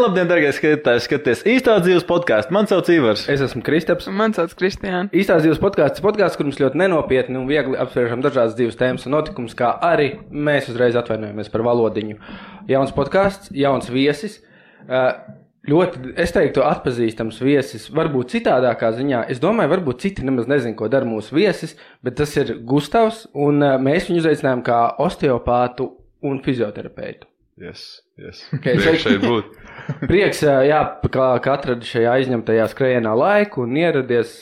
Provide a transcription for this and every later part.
labdien, dargie skatītāji, skaties Īstās dzīves podcastu. Man sauc Ivars. Es esmu Kristaps. Man sauc Kristiāna. Īstās dzīves podcasts, kur mums ļoti nenopietni un viegli apspriežam dažādas dzīves tēmas un notikumus, kā arī mēs uzreiz atvainojamies par valodiņu. Jauns podcasts, jauns viesis. Ļoti, es teiktu, atpazīstams viesis, varbūt citādākā ziņā. Es domāju, varbūt citi nemaz nezin, ko dara mūsu viesis, bet tas ir Gustavs, un mēs viņu uzaicinājām kā osteopātu un fizioterapeitu. Yes. Okay, prieks šeit būt. Prieks, jā, kā atradi šajā aizņemtajā skrejienā laiku un ieradies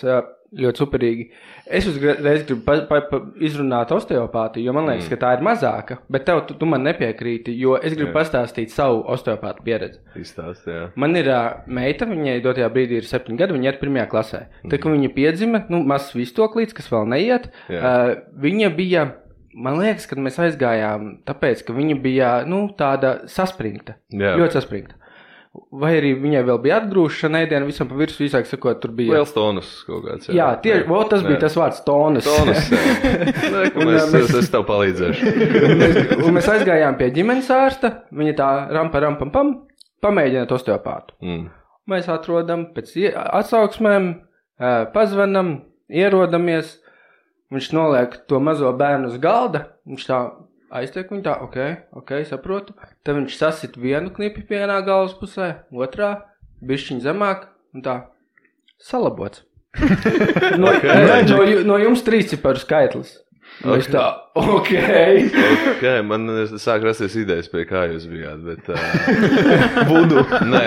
ļoti superīgi. Es uzreiz gribu izrunāt osteopātiju, jo man liekas, ka tā ir mazāka, bet tu man nepiekrīti, jo es gribu pastāstīt savu osteopātu pieredzi. Izstāst, jā. Man ir meita, viņai dotajā brīdī ir 7 gadi, viņa ir 1. klasē. Tā, ka viņa piedzima, mazs vistoklīts, kas vēl neiet, viņa bija... Man liekas, kad mēs aizgājām, tāpēc, ka viņa bija, tāda saspringta. Jā. Ļoti saspringta. Vai arī viņai vēl bija atgrūšana ēdiena, visam pa virsmu, īsāk sakot, tur bija... Liels tonus kaut kāds. Jā, tieši, tas bija tas vārds tonus. Tonus, jā. Es tev palīdzēšu. un mēs aizgājām pie ģimenes ārsta, viņa tā rampam, pamēģināt osteopātu. Mēs atrodam pēc atsauksmēm, pazvanam, ierodamies. Viņš noliek to mazo bērnu uz galda, viņš tā aiztiek viņu tā, ok, saprotu. Tad viņš sasit vienu knipi vienā galvas pusē, otrā, bišķiņ zemāk, un tā, salabots. No jums 3 ciparu skaitlis. Okay. Tā, ok, man sāk rasties idejas, pie kā jūs bijāt, bet... Vudu. Nē,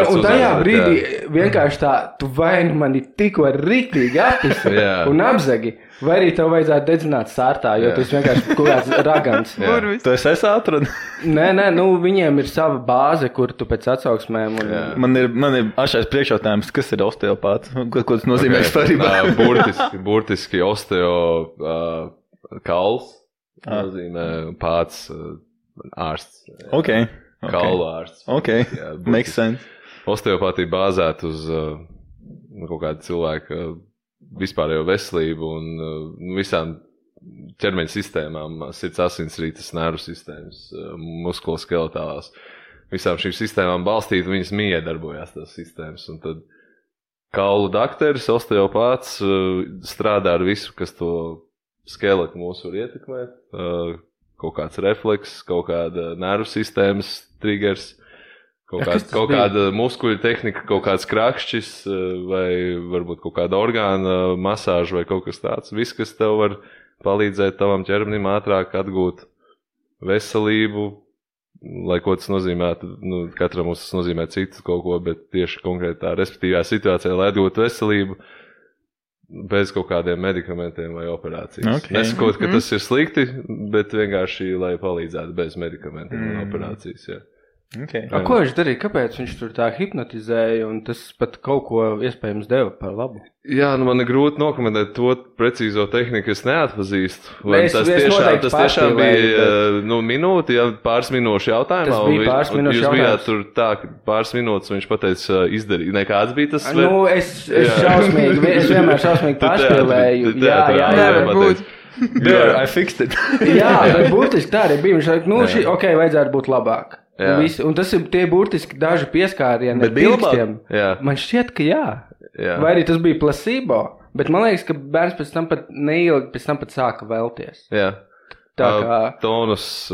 un tajā brīdī vienkārši tā, tu vainu mani tikko riktīgi apisi un apzagi, vai arī tev vajadzētu dedzināt sārtā, jo tu esi vienkārši kaut kāds ragans. Tu esi atradu? Nē, viņiem ir sava bāze, kur tu pēc atsauksmēm... Un... Man ir ašais priekšjautājums, kas ir osteopāts? Ko tas nozīmē vispārībā? Burtiski osteo... Kauls nozīmē pāts ārsts. Okay. Kaulu ārsts. Okay. Jā, makes sense. Osteopātija bāzēt uz kaut kādu cilvēku vispārējo veselību un visām ķermeņa sistēmām, sirds asinsrites, nervu sistēmas, muskuloskeletālās. Visām šīm sistēmām balstīt, viņas miedarbojās tās sistēmas. Un tad kaulu dakteris, osteopāts strādā ar visu, kas to skeletu mūsu var ietekmēt, kaut kāds refleks, kaut kāda nervu sistēmas triggers, kaut kāda muskuļu tehnika, kaut kāds krakšķis vai varbūt kaut kāda orgāna masāža vai kaut kas tāds. Viss, kas tev var palīdzēt tavam ķermenim ātrāk atgūt veselību, lai ko tas nozīmētu, katram mums tas nozīmē citu kaut ko, bet tieši konkrētā respektīvā situācijā, lai atgūtu veselību, bez kaut kādiem medikamentiem vai operācijas. Okay. Nesakot, ka tas ir slikti, bet vienkārši, lai palīdzētu bez medikamentiem un operācijas, jā. Okay. Ko viņš darīja? Kāpēc viņš tur tā hipnotizēja un tas pat kaut ko iespējams deva par labu? Jā, man ir grūti nokomentēt to precīzo tehniku, es neatpazīstu. Tas tiešām bija minūti, pāris minūšu jautājumā. Tas bija pāris minūšu jautājums. Jūs bijāt tur tā, pāris minūtes viņš pateica izdarīt. Nekāds bija tas? Es vienmēr šausmīgi pārspēlēju. Jā, I fixed it. Jā, bet būtiski tā arī bija. Viņš vajadzētu būt labāk. Un tas ir tie burtiski daži pieskārieni ar pirkstiem. Man šķiet, ka jā. Vai arī tas bija placebo, bet man liekas, ka bērns pēc tam pat neilgi pēc tam pat sāka vēlties. Jā. Tā kā... Tonus,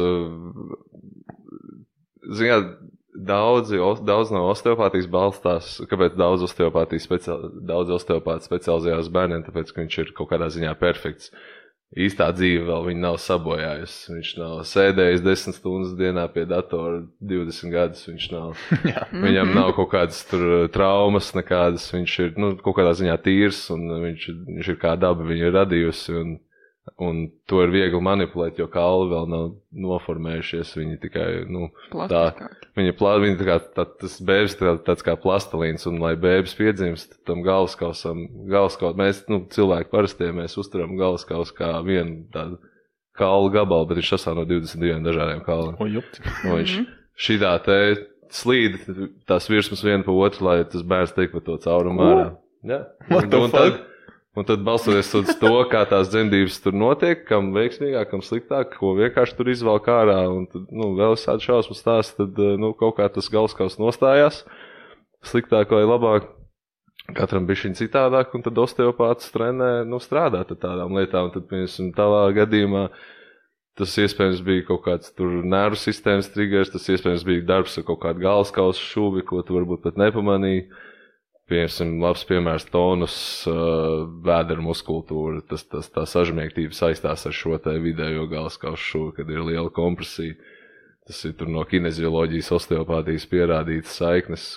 daudz no osteopātijas balstās, kāpēc daudz osteopāti specializējās bērniem, tāpēc, ka viņš ir kaut kādā ziņā perfekts. Īstā dzīve vēl viņa nav sabojājusi. Viņš nav sēdējis 10 stundas dienā pie datora 20 gadus. Viņam nav kaut kādas tur traumas nekādas. Viņš ir kaut kādā ziņā tīrs un viņš ir kā daba viņu ir radījusi. Un to ir viegli manipulēt, jo kauli vēl nav noformējušies. Viņi tikai, viņi tā kā tas bēbis tāds kā plastelīns, un lai bēbis piedzimst, tam galvaskaut, mēs, cilvēki parastie, mēs uzturam galvaskaus kā vienu tādu kaulu gabalu, bet viņš sastāv no 22 dažādiem kauliem. Viņš šitā te slīd tās virsmas vienu pa otru, lai tas bērns tiek pa to caurumu ārā. What the fuck? Un tad balstoties uz to, kā tās dzemdības tur notiek, kam veiksmīgāk, kam sliktāk, ko vienkārši tur izvelk ārā, un tad, vēl visādi šausmas stāsts, tad, kaut kā tas galskaus nostājās, sliktāk vai labāk, katram bišķiņ citādāk, un tad osteopāts trenē, strādāt ar tādām lietām, un tad, piemēram, tavā gadījumā, tas iespējams bija kaut kāds tur nervu sistēmas triggers, tas iespējams bija darbs ar kaut kādu galskausu šuvi, ko tu varbūt pat nepamanīji. Piemēram, labs piemērs tonus, vēdera muskultūra, tā sažmiegtība saistās ar šo te vidējo galskausu šuvi, kad ir liela kompresija. Tas ir tur no kinezioloģijas, osteopātijas pierādītas saiknes,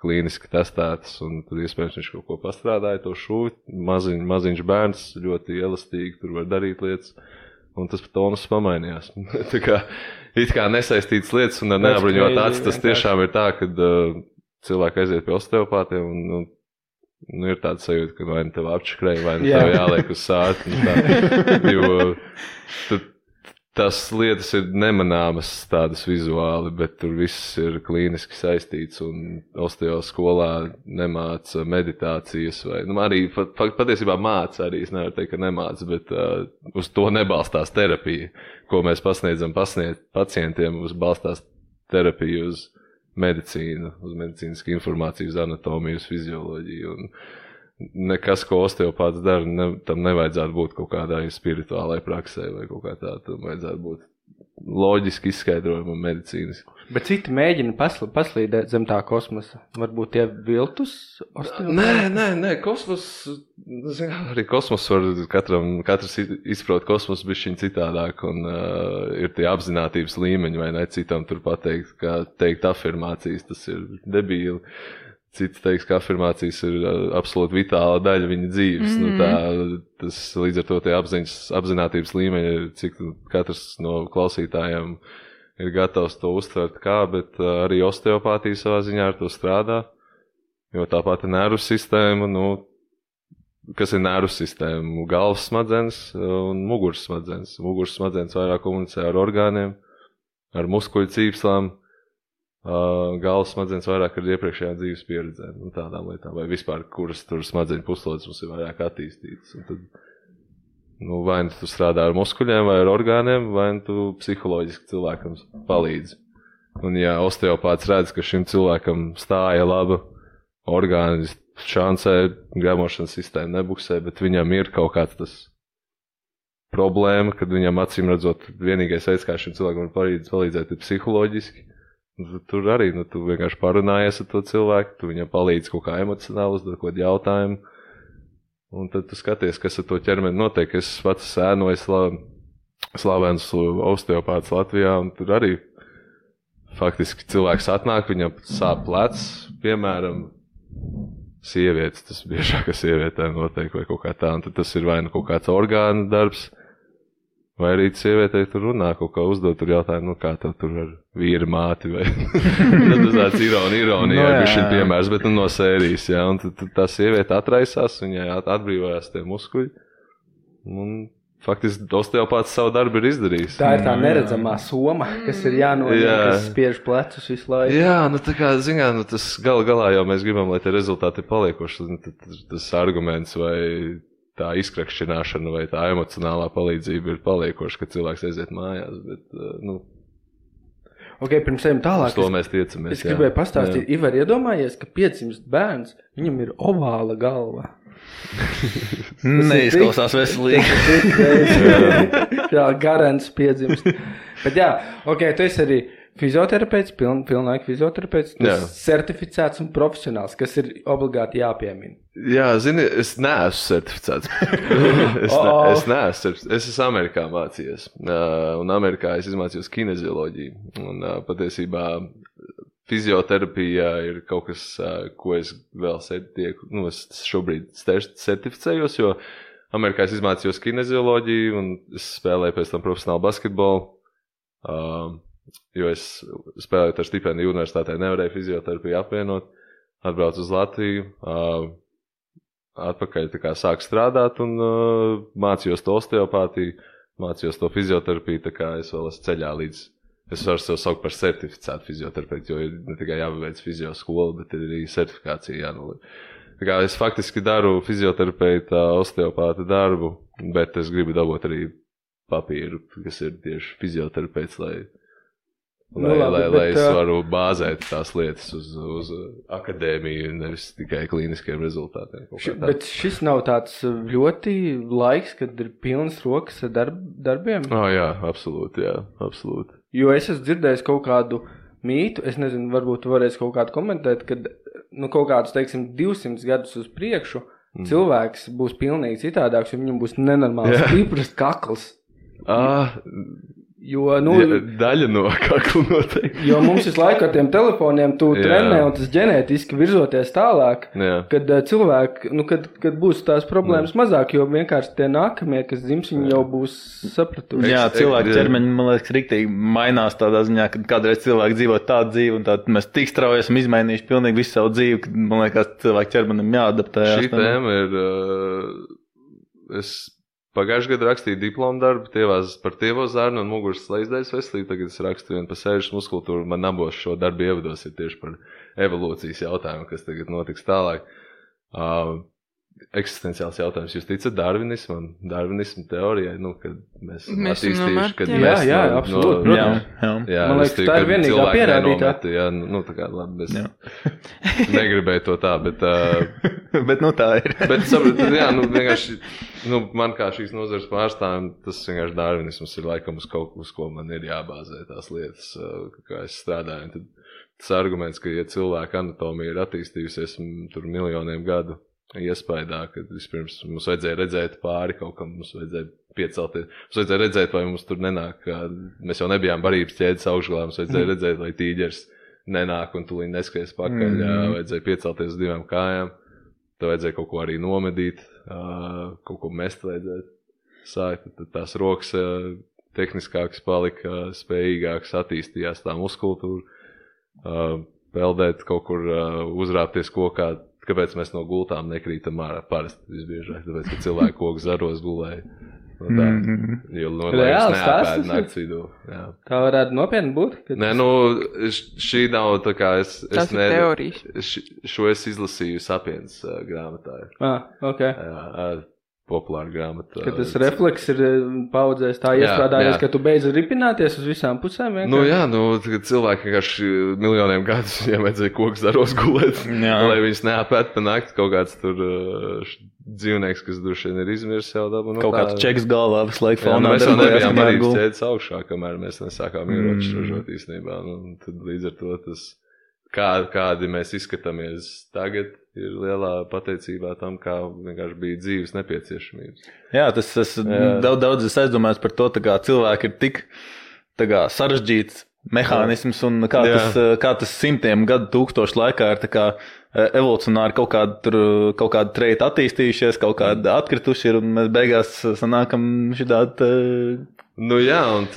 klīniski testētas, un tad iespējams viņš kaut ko pastrādāja to šuvi. Maziņš bērns, ļoti elastīgi, tur var darīt lietas, un tas tonus pamainījās. Tā kā, it kā nesaistītas lietas un ar neapbruņot acis, tas tiešām ir tā, kad cilvēki aiziet pie osteopātiem un ir tāda sajūta, ka vai nu tev apčakrēja, vai nu tev jāliek uz sāti. Jo tas lietas ir nemanāmas tādas vizuāli, bet tur viss ir klīniski saistīts un osteo skolā nemāca meditācijas vai, arī patiesībā māca arī, es nevaru teikt, ka nemāca, bet uz to nebalstās terapija, ko mēs pasniedzam pacientiem, uz balstās terapija uz medicīnu, uz medicīnisku informāciju, uz anatomiju, uz fizioloģiju. Un nekas, ko osteopāts dara, tam nevajadzētu būt kaut kādai spirituālai praksē vai kaut kā tā. Tam vajadzētu būt loģiski izskaidrojumam medicīniski. Bet citi mēģina paslīdēt zem tā kosmosa. Varbūt tie viltus osteopāti? Nē, kosmos, arī kosmos var, katrs izprot kosmos bišķiņ citādāk un ir tie apzinātības līmeņi, vai ne, citam tur pateikt, ka teikt afirmācijas, tas ir debīli. Cits teiks, ka afirmācijas ir absolūti vitāla daļa viņa dzīves. Tas līdz ar to tie apzinātības līmeņi ir, cik katrs no klausītājiem ir gatavs to uztvert kā, bet arī osteopātija savā ziņā ar to strādā, jo tāpat ir nervu sistēma, kas ir nervu sistēma, galvas smadzenes un muguras smadzenes. Muguras smadzenes vairāk komunicē ar orgāniem, ar muskuļu cīpslām, galvas smadzenes vairāk ar iepriekšējām dzīves pieredzēm un tādām lietām, vai vispār, kuras tur smadzeņu puslodes mums ir vairāk attīstītas. Un tad, vai nu tu strādā ar muskuļiem vai ar orgāniem, vai nu tu psiholoģiski cilvēkam palīdzi. Un ja osteopāts redz, ka šim cilvēkam stāja laba orgāni, šancē, gremošanas sistēma nebuksē, bet viņam ir kaut kāds tas problēma, kad viņam acīm redzot vienīgais veids, kā šim cilvēkam var palīdzēt, ir psiholoģiski. Tur arī, tu vienkārši parunājies ar to cilvēku, tu viņam palīdzi kaut kā emocionāli uzdot kaut kādu jautājumu, un tad tu skaties, kas ar to ķermeni notiek. Es pats ēnoju slavenus osteopātus Latvijā, un tur arī faktiski cilvēks atnāk, viņam sāp plecs, piemēram, sievietes, tas biežāk, ka sievietēm notiek vai kaut kā tā, un tad tas ir vai nu kaut kāds orgānu darbs, vai arī sievietei tur runā, kaut kā uzdot tur jautājumu, kā tev tur ar vīra māti, vai tas tāds ironija, bišķiņ piemērs, bet no sērijas, jā, un tad tā sieviete atraisās, viņai atbrīvojās tie muskuļi, un faktiski osteopāts savu darbu ir izdarījis. Tā ir tā neredzamā soma, kas ir jānoņem, kas spiež plecus visu laiku. Jā, tā kā, tas galā jau mēs gribam, lai tie rezultāti ir paliekoši, tas arguments vai tā izkrakšķināšana vai tā emocionālā palīdzība ir paliekoša, kad cilvēks aiziet mājās, bet, Ok, pirms ejam tālāk. Uz to mēs tiecamies, Es gribēju pastāstīt, Ivar, iedomājies, ka piedzimst bērns, viņam ir ovāla galva. Neizklausās veselīgi. Jā, garants piedzimst. Bet jā, ok, tu esi arī fizioterapeits, pilnlaika fizioterapeits, certificēts un profesionāls, kas ir obligāti jāpiemina. Jā, zini, es neesmu certificēts. Es neesmu. Es esmu Amerikā mācījies. Un Amerikā es izmācījos kinezioloģiju. Un patiesībā fizioterapija ir kaut kas, ko es vēl es šobrīd certificējos, jo Amerikā es izmācījos kinezioloģiju un es spēlēju pēc tam profesionālu basketbolu. Jo es spēlēju ar stipendiju universitātē, nevarēju fizioterapiju apvienot, atbraucu uz Latviju, atpakaļ sāku strādāt un mācījos to osteopātiju, mācījos to fizioterapiju, tā kā es vēl esmu ceļā līdz, es varu sev saukt par certificētu fizioterapeitu, jo ir ne tikai jābeidz fizioskola, bet ir arī certifikācija jānoliek. Tā kā es faktiski daru fizioterapeita, osteopāta darbu, bet es gribu dabūt arī papīru, kas ir tieši fizioterapeits, lai es varu bāzēt tās lietas uz akadēmiju, nevis tikai klīniskiem rezultātiem. Bet šis nav tāds ļoti laiks, kad ir pilnas rokas ar darbiem? Jā, absolūti. Jo es esmu dzirdējis kaut kādu mītu, es nezinu, varbūt varēs kaut kādu komentēt, kad kaut kādus, teiksim, 200 gadus uz priekšu cilvēks būs pilnīgi citādāks, jo viņam būs nenormāls stiprs kakls. Jo, daļa no kakla noteikti. Jo mums visu laiku ar tiem telefoniem tu trenē un tas ģenētiski virzoties tālāk, kad cilvēki, kad būs tās problēmas mazāk, jo vienkārši tie nākamie, kas dzims, viņi jau būs sapratuši. Jā, cilvēku ķermeņi, man liekas, riktīgi mainās tādā ziņā, kad kādreiz cilvēki dzīvo tādu dzīvi un tādu mēs tik strauji esam izmainījuši pilnīgi visu savu dzīvi, kad, man liekas, cilvēku ķermenim jāadaptējās. Šī tēma ir, pagājušajā gadā rakstīju diplomu darbu par tievo zarnu un muguras slēdzdaļas veselību. Tagad es rakstu vienu par sēžas muskultūru. Man abos šo darbu ievados ir tieši par evolūcijas jautājumu, kas tagad notiks tālāk. Eksistenciāls jautājums. Jūs ticat darvinismu teorijai, kad mēs attīstījuši, kad mēs... Jā, absolūti. Jā, man liekas, tā ir vienīgā pierādītā. Tā kā labi, es negribēju to tā, bet... bet tā ir. Bet, vienkārši, man kā šīs nozares pārstāvjiem, tas vienkārši darvinisms ir laikam uz kaut ko man ir jābāzē tās lietas, kā es strādāju. Tad tas arguments, ka, ja cilvēka anatomija ir attīstījusies tur miljoniem gadu, iespaidā, kad vispirms mums vajadzēja redzēt pāri kaut kam, mums vajadzēja piecelties, mums vajadzēja redzēt, vai mums tur nenāk, mēs jau nebijām barības ķēdes augšgalā, mums vajadzēja redzēt, vai tīģers nenāk un tūlīt neskries pakaļ, vajadzēja piecelties uz 2 kājām, tad vajadzēja kaut ko arī nomedīt, kaut ko mest vajadzēja sākt, tad tās rokas tehniskākas palika, spējīgākas, attīstījās tā muskultūra, peldēt kaut kur, uzrāpties kokā. Kāpēc mēs no gultām nekrītam ārā parasti visbiežāk? Tāpēc, ka cilvēki koku zaros gulēja. Jo liekas neapēd nakts vidū. Jā. Tā varētu nopietni būt? Nē, šī nav tā kā tas ir teorija. Šo es izlasīju Sapiens grāmatā. Ok. Jā, populāra grāmata. Ka tas refleks ir paudzēs tā iestrādājies, ka tu beidz ripināties uz visām pusēm vienkārši? Kad cilvēki vienkārši miljoniem gadus viņiem vajadzēja koku zaros gulēt, lai viņus neapēt pa nakti kaut kāds tur dzīvnieks, kas droši vien ir izmirs jau dabu. Kaut kāds čeks galvā visu laiku fonā. Mēs jau nebijām barības ķēdes augšā, kamēr mēs nesākām ieročus ražot īstenībā. Tad līdz ar to tas, kādi mēs izskatāmies tagad, ir lielā pateicībā tam, kā vienkārši bija dzīves nepieciešamības. Jā, tas daudz es aizdomājos par to, kā cilvēki ir tik sarežģīts mehānisms un kā tas simtiem gadu tūkstošu laikā ir evolucionāri kaut kāda treita attīstījušies, kaut kāda atkrituši ir un mēs beigās sanākam šitādi... un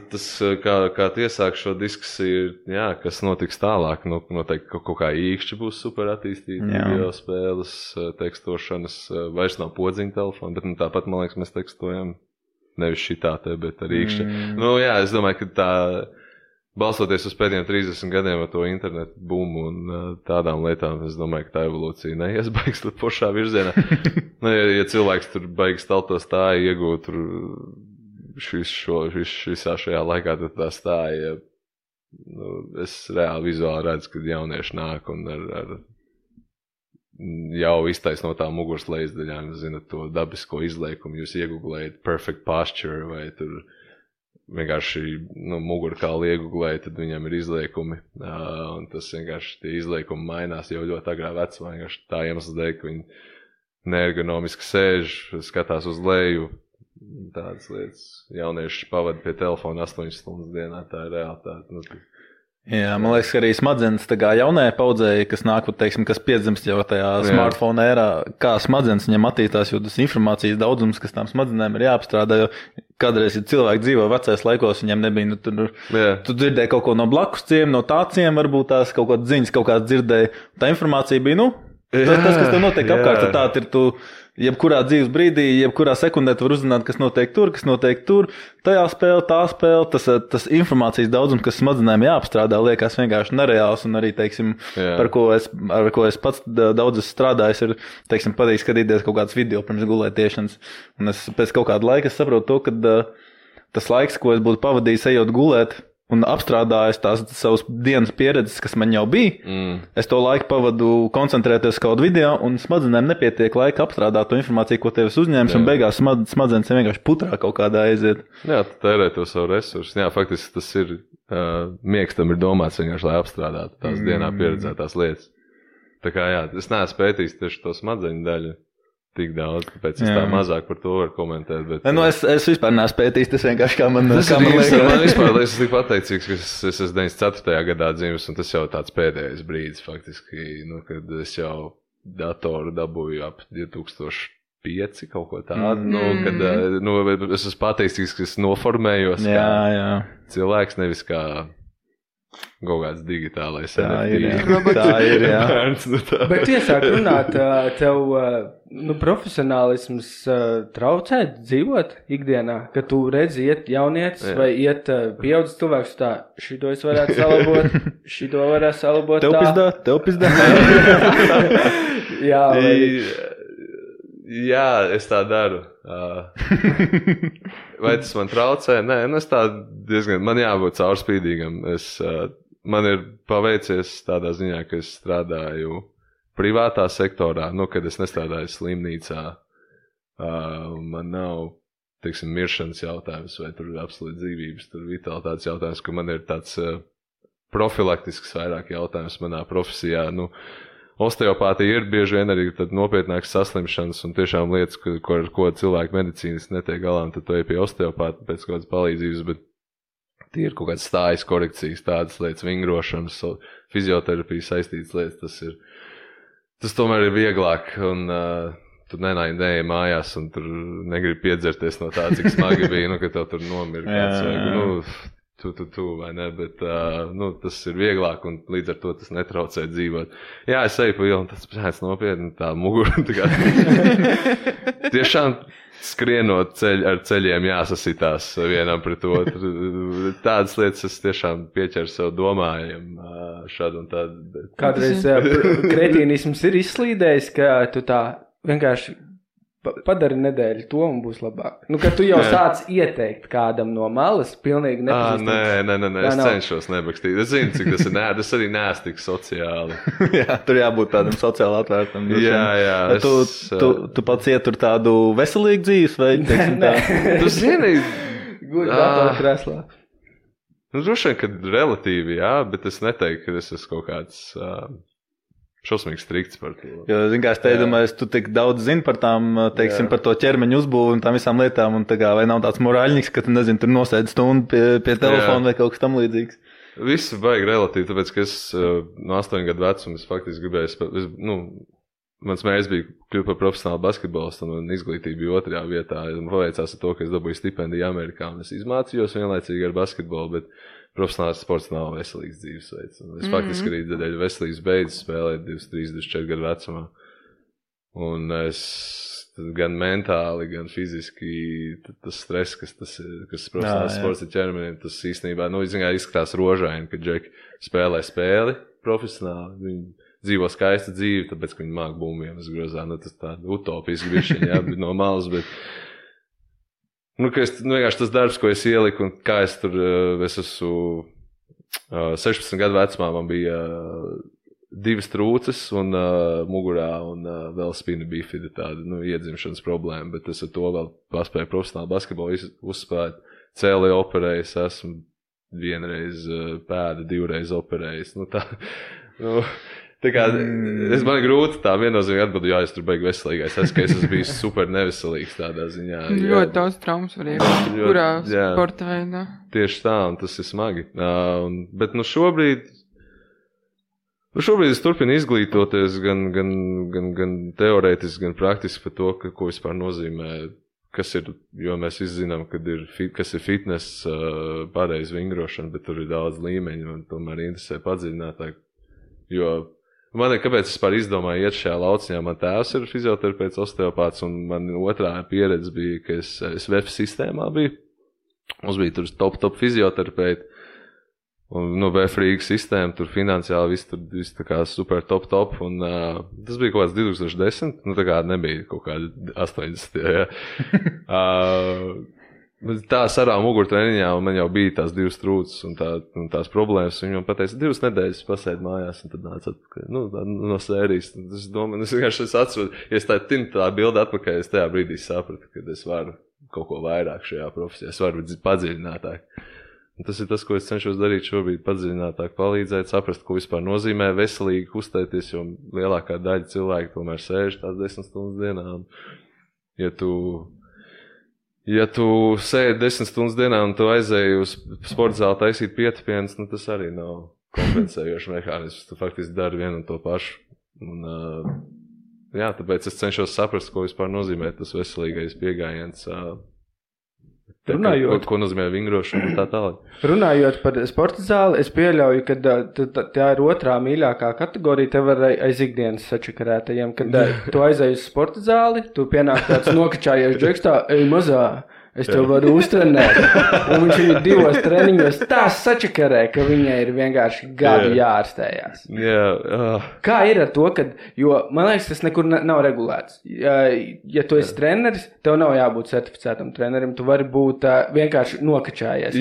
tas, kā iesāk šo diskusiju, kas notiks tālāk, noteikti kaut kā īkšķi būs super attīstīti, video spēles, tekstošanas, vairs nav podziņa telefona, bet tāpat, man liekas, mēs tekstojam nevis šitā bet ar īkšķi. Es domāju, ka tā, balstoties uz pēdējiem 30 gadiem ar to internetu bumu un tādām lietām, es domāju, ka tā evolūcija neies baigs pošā virzienā. Ja cilvēks tur baigs staltos tā iegūt tur visā šajā laikā, tad tā stāja, es reāli vizuāli redzu, kad jaunieši nāk un ar jau iztaisnotām muguras lejasdaļām, zinat, to dabisko izliekumu, jūs ieguglējat perfect posture vai tur vienkārši mugurkauli ieguglējat, tad viņam ir izliekumi, un tas vienkārši tie izliekumi mainās jau ļoti agrā vecumā, vienkārši tā iemesls dēļ, ka viņi neergonomiski sēž, skatās uz leju, tādas lietas. Jaunieši pavada pie telefona 8 stundas dienā, tā ir realitāte. Jā, man liekas, ka arī smadzenes jaunajai paudzei, kas nāk, teiksim, kas piedzimst jau tajā smartphone ērā, kā smadzenes viņam attīstās, jo tas informācijas daudzums, kas tām smadzenēm ir jāapstrādā, jo kādreiz, ja cilvēki dzīvo vecais laikos, viņiem nebija, tu dzirdēji kaut ko no blakus ciem, no tāciem, varbūt tās kaut kādas ziņas, kaut kāds dzirdēji, tā informācija bija, tas, kas tev notiek apkārt, tā ir jebkurā dzīves brīdī, jebkurā sekundē tu var uzzināt, kas notiek tur, tajā spēlē, tā spēle, tas informācijas daudzums, kas smadzenēm jāapstrādā, liekas vienkārši nereāls, un arī, teiksim, ar ko es pats daudz esmu strādājis, ir, teiksim, patīk skatīties kaut kāds video pirms gulētiešanas, un es pēc kaut kāda laika saprotu to, ka tas laiks, ko es būtu pavadījis ejot gulēt, un apstrādājis tās savas dienas pieredzes, kas man jau bija, es to laiku pavadu koncentrēties kādu video, un smadzenēm nepietiek laika apstrādāt to informāciju, ko tev uzņēmis, un beigās smadzenes vienkārši putrā kaut kādā aiziet. Jā, tu tērē to savu resursu. Jā, faktiski tas ir, miegs tam ir domāts vienkārši, lai apstrādātu tās dienā pieredzētās lietas. Tā kā jā, es neesmu pētījis tieši to smadzeņu daļu tik daudz, tāpēc es tā mazāk par to varu komentēt. Bet, es vispār neesmu pētījis, tas vienkārši kā man liekas. Man vispār es tik pateicīgs, ka es esmu 94. gadā dzimis, un tas jau tāds pēdējais brīdis faktiski, kad es jau datoru dabūju ap 2005 kaut ko tādu, kad es esmu pateicīgs, ka es noformējos kā cilvēks, nevis kā kaut kāds digitālais NFT. Tā ir, jā. Bet tu iesāk runāt, tev profesionālisms traucē dzīvot ikdienā, ka tu redzi iet jaunietis vai iet pieaudzis cilvēks tā, šito es varētu salabot, šito varētu salabot tā. Tev pizdā. Jā, vai... Jā, es tā daru. Vai tas man traucē? Nē, es tā diezgan, man jābūt caurspīdīgam. Man ir paveicies tādā ziņā, ka es strādāju privātā sektorā, kad es nestrādāju slimnīcā. Man nav, teiksim, miršanas jautājums vai tur absolūti dzīvības, tur vitalitātes jautājums, ka man ir tāds profilaktisks vairāk jautājums manā profesijā, Osteopātija ir bieži vien arī nopietnākas saslimšanas un tiešām lietas, ko cilvēki medicīnas netiek galā, un tad tu ej pie osteopāta pēc kādas palīdzības, bet tie ir kaut kādas stājas korekcijas, tādas lietas, vingrošanas, fizioterapijas saistītas lietas, tas tomēr ir vieglāk, un tu neej mājās, un tur negribi piedzerties no tā, cik smagi bija, ka tev tur nomira kāds vai, tu, vai ne, bet tas ir vieglāk un līdz ar to tas netraucē dzīvot. Jā, es eju pa ielu un tas pēc nopietni tā mugura. Tiešām skrienot ar ceļiem jāsasitās vienam pret otru. Tādas lietas es tiešām pieķeru sev domājam šādu un tādu. Bet... Kādreiz kretīnisms ir izslīdējis, ka tu tā vienkārši padari nedēļu to un būs labāk. Kad tu jau sāc ieteikt kādam no malas, pilnīgi nepazīstams. Nē, es cenšos nebakstīt. Es zinu, cik tas ir es arī neesmu tik sociāli. Jā, tur jābūt tādam sociāli atvērtam. Jā. Tu pats ietur tādu veselīgu dzīves vai, teiksim tā? Tu zini... Guļ datorā krēslā. Droši vien, kad relatīvi, jā, bet es neteiktu, ka es esmu kaut kāds... šausmīgi strikts par to. Jo, zin kā, es te domāju, tu tik daudz zini par tām, teiksim, par to ķermeņu uzbūvu un tām visām lietām, un tā kā, vai nav tāds morāļniks, ka tu, nezini, tur nosēdi stundu pie telefona vai kaut kas tam līdzīgs? Viss vajag relatīvi, tāpēc, ka es no 8 gadu vecuma es faktiski gribēju, mans mērķis bija kļūt par profesionālu basketbolistu, un izglītība bija 2. vietā. Man paveicās ar to, ka es dabūju stipendiju Amerikā, un es izmācījos vienlaicīgi ar basketbolu, bet profesionāls sports nav veselīgs dzīvesveids. Es faktiski arī dēļ veselības beidzu spēlēt 23, 24 gadu vecumā. Un es gan mentāli, gan fiziski tas stress, kas profesionāls sports ir ķermenim, tas īstenībā, izskatās rožaini, ka džeki spēlē spēli profesionāli. Viņi dzīvo skaistu dzīvi, tāpēc, ka viņi māk bumbiem grozā. Tas tā utopiski bišķiņ, bet no malas, bet... vienkārši tas darbs, ko es ieliku, un kā es esmu 16 gadu vecumā, man bija 2 trūces un mugurā un vēl spina bifida tāda, iedzimšanas problēma, bet es ar to vēl paspēju profesionāli basketbolu uzspēlēt. Cēli operējis, esmu 1 reizi pēda, 2 reizi operējis. Tā kā, man ir grūti tā viennozīmīgi atbildi, es tur beig veselīgais. Es esmu bijis super neveselīgs tādā ziņā. Ļoti daudz traumas var iegūt, kurā sporta veidā. Tieši tā, un tas ir smagi. Bet šobrīd es turpinu izglītoties gan teorētiski, gan praktiski par to, ko vispār nozīmē, kas ir, jo mēs izzinām, kas ir fitness, pareiz vingrošana, bet tur ir daudz līmeņu, un tomēr interesē padziļinātāk, jo Man kāpēc es izdomāju iet šajā lauciņā? Man tēvs ir fizioterapeits, osteopāts, un man otrā pieredze bija, ka es VF sistēmā biju. Mums bija tur top fizioterapeiti. Un, VF Rīgas sistēma, tur finansiāli viss tā kā super top. Un tas bija kaut kāds 2010, tā kā nebija kaut kādi 80, ja. Tā sarā mugurtreniņā, un man jau bija tās 2 trūces un tās problēmas. Viņi man pateica, 2 nedēļas pasēd mājās, un tad nāca atpakaļ. No sērijas. Es domāju, es atceros, ja es tā bildi atpakaļ, es tajā brīdī sapratu, ka es varu kaut ko vairāk šajā profesijā. Es varu padziļinātāk. Un tas ir tas, ko es cenšos darīt šobrīd, padziļinātāk palīdzēt, saprast, ko vispār nozīmē veselīgi kustēties, jo lielākā daļa cilvēku tomēr sēž tās 10 stundas dienā. Ja tu sēdi 10 stundas dienā un tu aizēji uz sporta zāli taisīt pietupienus, tas arī nav kompensējošs mehānisms. Tu faktiski dari vienu un to pašu. Un, tāpēc es cenšos saprast, ko vispār nozīmē tas veselīgais piegājiens. Ko nozīmē vingrošana un tā tālāk. Runājot par sporta zāli, es pieļauju, ka tā ir otrā mīļākā kategorija tev aiz ikdienas sačakarētajiem, kad tu aizēji uz sporta zāli, tu pienāk tāds nokačājies džekstā, ej mazā, es tev varu uztrenēt. Un viņš ir 2 treniņos tā sačakarē, ka viņai ir vienkārši gadu jāārstējās. Kā ir ar to, jo man liekas, tas nekur nav regulēts. Ja tu esi treneris, tev nav jābūt certificētam trenerim, tu vari būt vienkārši nokačājies.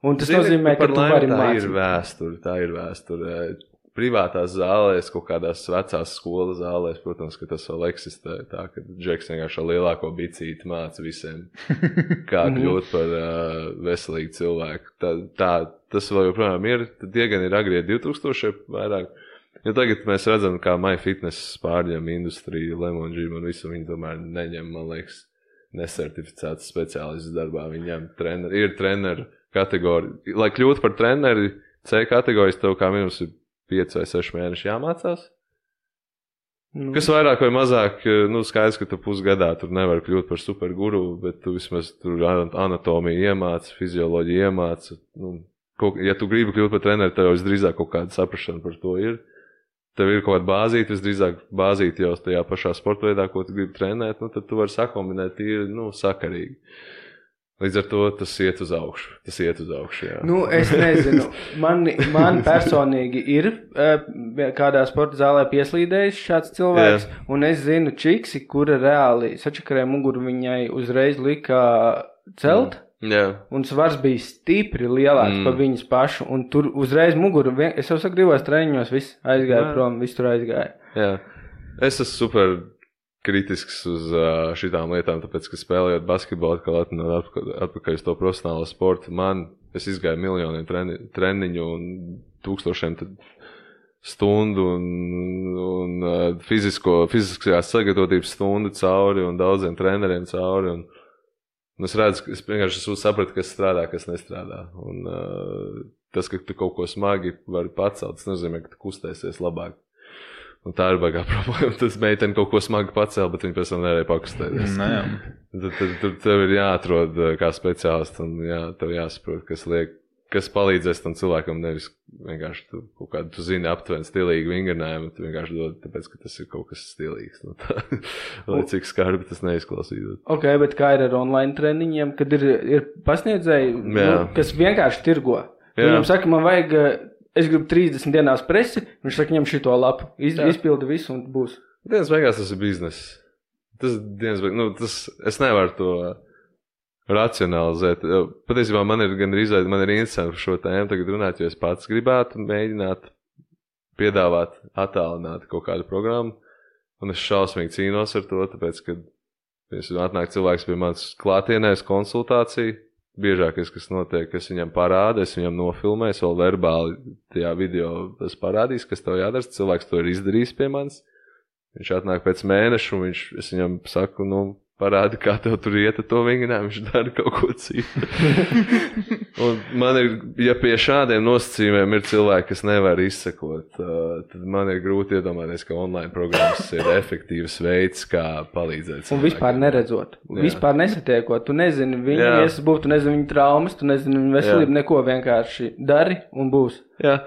Un tas nozīmē, ka tu vari mācīt. Tā ir vēsture. Privātās zālēs, kaut kādās vecās skolas zālēs, protams, ka tas vēl eksistē tā, ka Džeks vienkārši lielāko bicīti māca visiem, kā kļūt par veselīgu cilvēku. Tas vēl joprojām ir, tie gan ir agrie 2000 vairāk. Ja tagad mēs redzam, kā MyFitness pārņem industriju, Lemon Gym un visu, viņi tomēr neņem, man liekas, nesertificētas speciālistus darbā. Viņi ņem ir treneru kategorija. Lai kļūtu par treneri, C kategorijas tev kā minus ir 5 vai 6 mēneši jāmācās. Kas vairāk vai mazāk, skaidrs, ka tu pusgadā tur nevar kļūt par superguru, bet tu vismaz tur anatomiju iemāci, fizioloģiju iemāci. Ja tu gribi kļūt par treneri, tev jau visdrīzāk kaut kāda saprašana par to ir. Tev ir kaut kāda bāzīte, visdrīzāk bāzīte jau tajā pašā sportveidā, ko tu gribi trenēt, tad tu vari sakombinēt tīri, sakarīgi. Līdz ar to tas iet uz augšu. Jā. Es nezinu. Man personīgi ir kādā sporta zālē pieslīdējis šāds cilvēks, un es zinu čiksi, kura reāli sačakarē muguru viņai uzreiz lika celt, un svars bija stipri lielāks par viņas pašu, un tur uzreiz muguru, es jau saku, 2 treniņos, viss aizgāja prom, viss tur aizgāja. Jā. Es esmu super kritisks uz šitām lietām, tāpēc, ka spēlējot basketbolu, atpakaļ uz to profesionālo sportu, es izgāju miljoniem treniņu un 1000 stundu un fiziskajās sagatavotības stundu cauri un daudziem treneriem cauri. Un es redzu, es vienkārši sapratu, kas strādā, kas nestrādā. Un tas, ka tu kaut ko smagi vari pacelt, tas nozīmē, ka tu kustēsies labāk. Un tā ir baigā problēma. Tas meiteni kaut ko smagi pacēl, bet viņi pēc tam nevarēja pakustēties. Tad tev ir jāatrod kā speciālists un tev jāsaprot, kas palīdzēs tam cilvēkam, nevis vienkārši tu zini aptuveni stilīgi vingrinājumu, tu vienkārši dod, tāpēc, ka tas ir kaut kas stilīgs. Lai cik skarbi tas neizklausītos. Ok, bet kā ir ar online treniņiem, kad ir pasniedzēji, kas vienkārši tirgo? Viņam saka, man vajag... Es gribu 30 dienās presi, viņš saka, ņem šito lapu, izpildi visu un būs. Dienas beigās tas ir biznes. Es nevaru to racionalizēt. Patiesībā man ir interesanti par šo tēmu tagad runāt, jo es pats gribētu mēģināt piedāvāt attālināt kaut kādu programmu, un es šausmīgi cīnos ar to, tāpēc, kad atnāk cilvēks pie manas klātienēs konsultāciju, biežākais, kas notiek, kas viņam parāda, es viņam nofilmēju, es vēl verbāli tajā video es parādīšu, kas tev jādara, cilvēks to ir izdarījis pie manis. Viņš atnāk pēc mēneša, un es viņam saku, parādi, kā tev tur iet ar to vingrinājumu, viņš dara kaut ko citu. Un man ir, ja pie šādiem nosacījumiem ir cilvēki, kas nevar izsekot, tad man ir grūti iedomāties, ka online programmas ir efektīvs veids, kā palīdzēt cilvēkiem. Un vispār neredzot, vispār nesatiekot, tu nezini viņu iesasbūt, tu nezini viņu traumas, tu nezini viņu veselību, neko vienkārši dari un būs. Jā.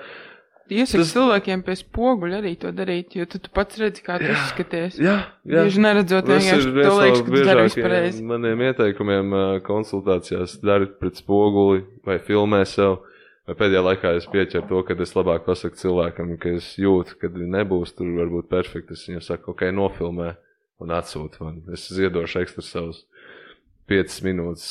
iesaku cilvēkiem pie spoguļa arī to darīt, jo tu pats redzi, kā tu izskaties. Jā. Bieži neredzot, vienkārši to liekas, ka tu dari vispareizi. Maniem ieteikumiem konsultācijās dari pret spoguli vai filmē sev. Vai pēdējā laikā es pieķeru to, kad es labāk pasaku cilvēkam, ka es jūtu, kad nebūs tur varbūt perfekti. Es viņam saku, ok, nofilmē un atsūtu man. Es ziedošu ekstra savus 5 minūtes